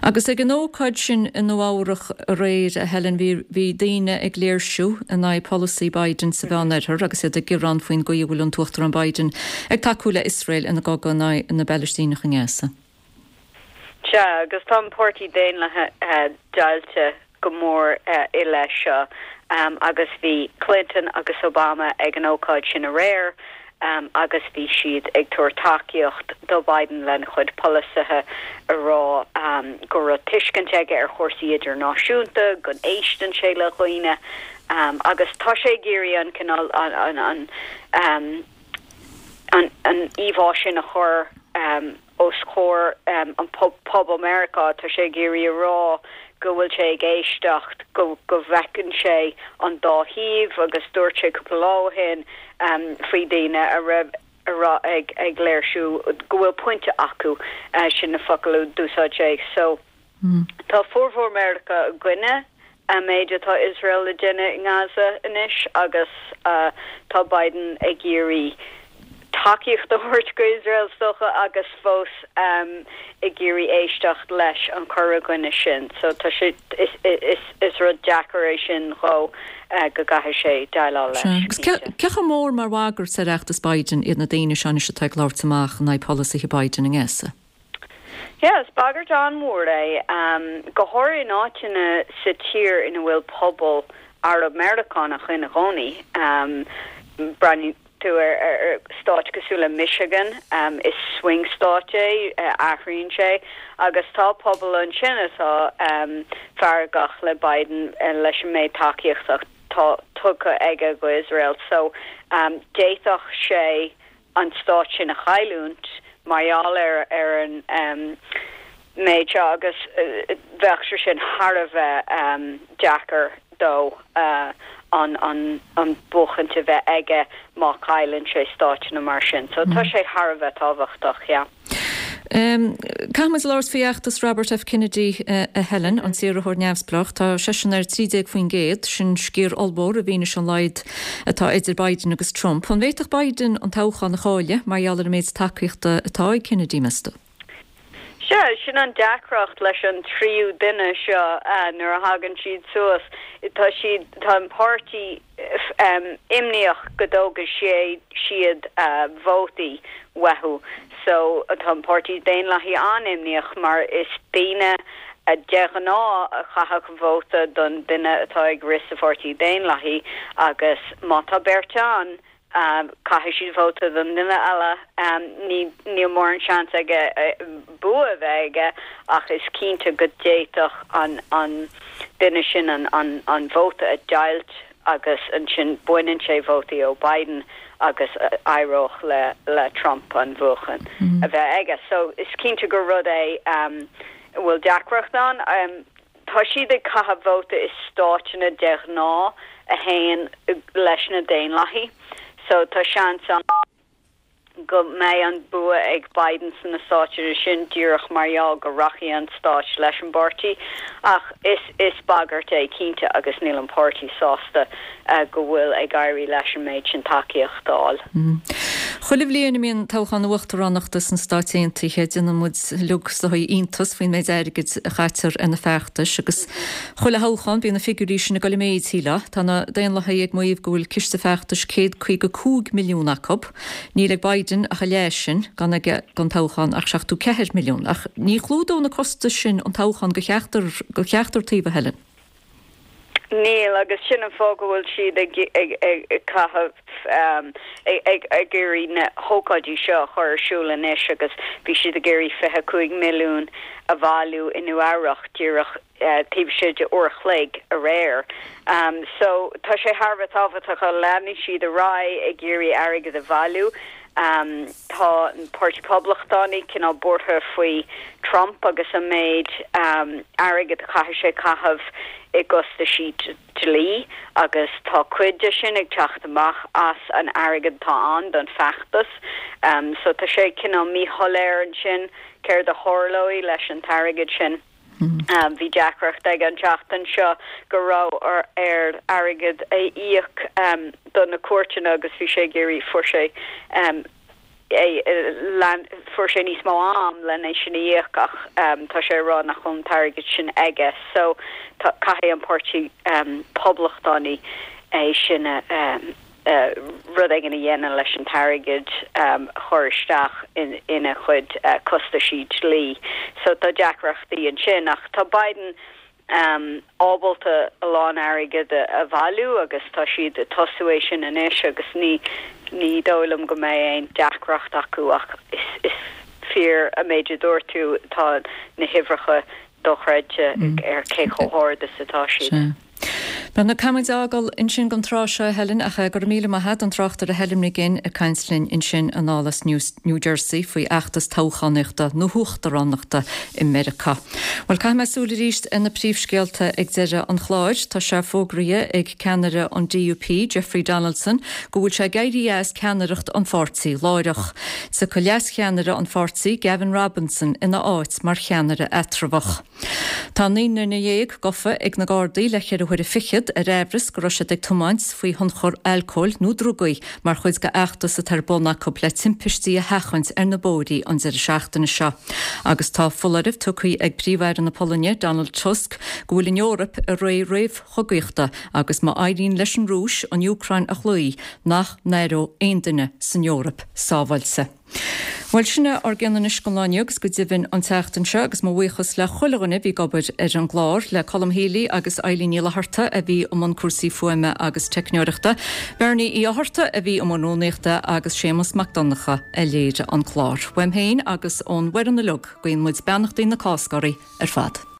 Agus ag an ócáid sin i Nua Eabhrach aréir a Helen bhí bhí daoine ag léirsiú in aghaidh polasaí Biden sa Mheánoirthear agus iad ag gearán faoin gcaoi a bhfuil an tUachtarán Biden ag tacú le Iosrael ina gcogadh in aghaidh na bPalaistíneach i nGaza. Sea, agus tá an Páirtí Daonlathach uh, deighilte go mór uh, i leith seo um, agus bhí Clinton agus Obama ag an ócáid sin aréir um, agus bhí siad ag tabhairt tacaíocht do Biden lena chuid polasaithe a rá um, go raibh tuiscint aige ar chúrsaí idirnáisiúnta, go n-éisteann sé le dhaoine um, agus tá sé ag iarraidh an cineál an, an, an, um, an, an íomhá sin a chur um, os comhair an pobal Meiriceá, tá sé ag iarraidh a rá go bhfuil sé ag éisteacht, go go bhfeiceann sé an dá thaobh agus dúirt sé cúpla lá ó shin faoi daoine a raibh a raibh ag ag léirsiú go bhfuil pointe acu, sin na focail a d'úsáid sé. So tá formhór Meiriceá i gcoinne an méid atá Iosrael le déanamh i nGaza anois agus tá Biden ag iarraidh tacaíocht a thabhairt go Iosrael is dócha agus fós ag iarraidh éisteacht leis an cur i gcoinne sin. So tá sé is is is rud deacair é sin dhó go gcaithfidh sé déileáil leis. Agus cé chomh mór mar bhagairt ar fheachtas Biden iad na daoine seo anois atá ag labhairt amach in aghaidh polasaithe Biden i nGaza? Yeah, is bagairt an-mhór é, go háirithe in áiteanna sa tír ina bhfuil pobal Arab-Meiriceánach ina gcónaí. Breathnaíonn tú ar ar stáit cosúil le Michigan, is swing state é, athraíonn sé, agus tá pobal ansin atá feargach le Biden leis an méid tacaíochta atá tugtha aige go Iosrael. So d'fhéadfadh sé an stát sin a chailliúint mar gheall ar ar an méid seo agus bheadh sé sin thar a bheith deacair dó an an an buachaint a bheith aige má chailleann sé stáiteanna mar sin. So tá sé thar a bheith tábhachtach, yeah. Caithfimid labhairt faoi fheachtas Robert F. Kennedy a Helen, an t-iarrthóir neamhspleách. Tá seisean ar trí déag faoin gcéad, sin sciar ollmhór i bhfianaise an laghad atá idir Biden agus Trump. An bhféadfadh Biden an toghchán a chailleadh mar gheall ar an méid tacaíochta atá ag Kennedy, meas tú? Sea, sin an deacracht leis an tríú duine seo nuair a thagann siad suas. Tá siad, tá an páirtí imníoch go dtógfaidh siad vótaí uathu. So tá an Páirtí Daonlathaí an-imníoch mar is daoine de ghnáth a chaithfeadh vóta don duine atá ag rith sa Pháirtí Daonlathaí agus má tá beirt ann, caithfidh siad vóta don duine eile. Ní níl mórán seans aige bua a bheith aige ach is cinnte go d'fhéadfadh an an duine sin an an an vóta a deighilt agus ansin baineann sé vótaí ó Biden agus éireodh le le Trump an bhuachan a bheith aige. So is cinnte gur rud é um, a bhfuil deacracht ann. Um, tá siad ag caitheamh vóta i stáiteanna de ghnáth a théann leis na Daonlathaí. So tá seans ann go mbeidh an bua ag Biden sna stáiteanna sin díreach mar gheall go rachaidh an stát leis an bpáirtí ach is is bagairt é cinnte agus níl an páirtí sásta go bhfuil ag éirí leis an méid sin tacaíocht a fháil. Chuile bhliain a mbíonn toghchán uachtaránachta sna Stáit Aontaithe, déanann muid uilig is dóigh iontas faoin méid airgid a chaitear ar na feachtais agus chuile thoghchán bíonn na figiúirí sin ag dul i méid, shílfeá. Tá na Daonlathaithe ag maíomh go bhfuil ciste feachtais céad caoga cúig milliún acu. Níl ag Biden ach a leath sin, gan aige don toghchán ach seachtó ceathair milliún. Ach ní chlúdódh na costais sin an toghchán go cheachtar go cheachtar taobh, a Helen. Níl, agus sin an fáth go bhfuil siad ag ag ag caitheamh ag ag iarraidh na hócáidí seo a chur ar siúl anois agus bhí siad ag iarraidh fiche cúig milliún a bhailiú i Nua Eabhrac díreach taobh istigh de uair a chloig aréir. So tá sé thar a bheith tábhachtach go leanfaidh siad ar aghaidh ag iarraidh airgead a bhailiú. Tá an Páirtí Poblachtánaí cineál buartha faoi Trump agus an méid airgead a chaithfidh sé caitheamh i gcostaisí dlí agus tá cuid de sin ag teacht amach as an airgead atá ann don feachtas. So tá sé cineál míshoiléir ansin céard a tharlóidh leis an t-airgead sin. Bhí deacracht aige an tseachtain seo go raibh air airgead a íoc do na cúirteanna agus bhí sé ag iarraidh, fuair sé fuair sé níos mó am lena é sin a íoc ach tá sé ag rá nach bhfuil an t-airgead sin aige so caithfidh an Páirtí Poblachtánaí é sin a rud éigin a dhéanamh leis an t-airgead a chur isteach ina chuid costaisí dlí. So tá deacrachtaí ansin ach tá Biden ábalta a lán airgead a bhailiú agus tá siad ag tosú é sin anois agus ní ní dóigh liom go mbeidh aon deacracht acu ach is is fíor an méid a dúirt tú tá na huimhreacha dochreidte ar cé chomh hard is atá siad. Bhuel caithfidh muid a fhágáil ansin don tráth seo Helen ach go raibh míle maith agat an tráchtaire Helen Ní Ghin ag caint linn ansin anall as New, New Jersey faoi fheachtas toghchánaíochta na huachtaránachta i Meiriceá. Well caithfidh mé súil arís ar na príomhscéalta ag deireadh an chláir, tá sé fógraithe ag ceannaire an DUP Jeffrey Donaldson go bhfuil sé ag éirí as ceannaireacht an pháirtí láithreach. Tiocfaidh leascheannaire an pháirtí Gavin Robinson ina áit mar cheannaire eatramhach. Tá naoi nduine dhéag gafa ag na Gardaí le ceithre huaire fichead ar aimhreas go raibh siad ag tiomáint faoi thionchar alcóil nó drugaí mar chuid de fheachtas atá ar bun acu le timpistí a sheachaint ar na bóithre an deireadh seachtaine seo. Agus tá foláireamh tugtha ag Príomh-Aire na Polainne Donald Tusk go bhfuil an Eoraip i ré réamhchogaíochta agus má éiríonn leis an Rúis an Úcráin a chloí nach n-aireoidh aon duine san Eoraip sábháilte. Bhuel sin é ár gceann anois don lá inniu agus go deimhin an tseachtain seo agus mo bhuíochas le chuile dhuine a bhí ag obair ar an gclár le Colm Healy agus Eileen Ní Fhlatharta a bhí i mbun cúrsaí fuaime agus teicneoireachta, Bernie Uí Fhátharta a bhí i mbun rúnaíochta agus Séamus Mac Donncha a léirigh an clár. Uaim féin agus ón bhfoireann uilig guíonn muid beannachtaí na Cásca oraibh ar fad.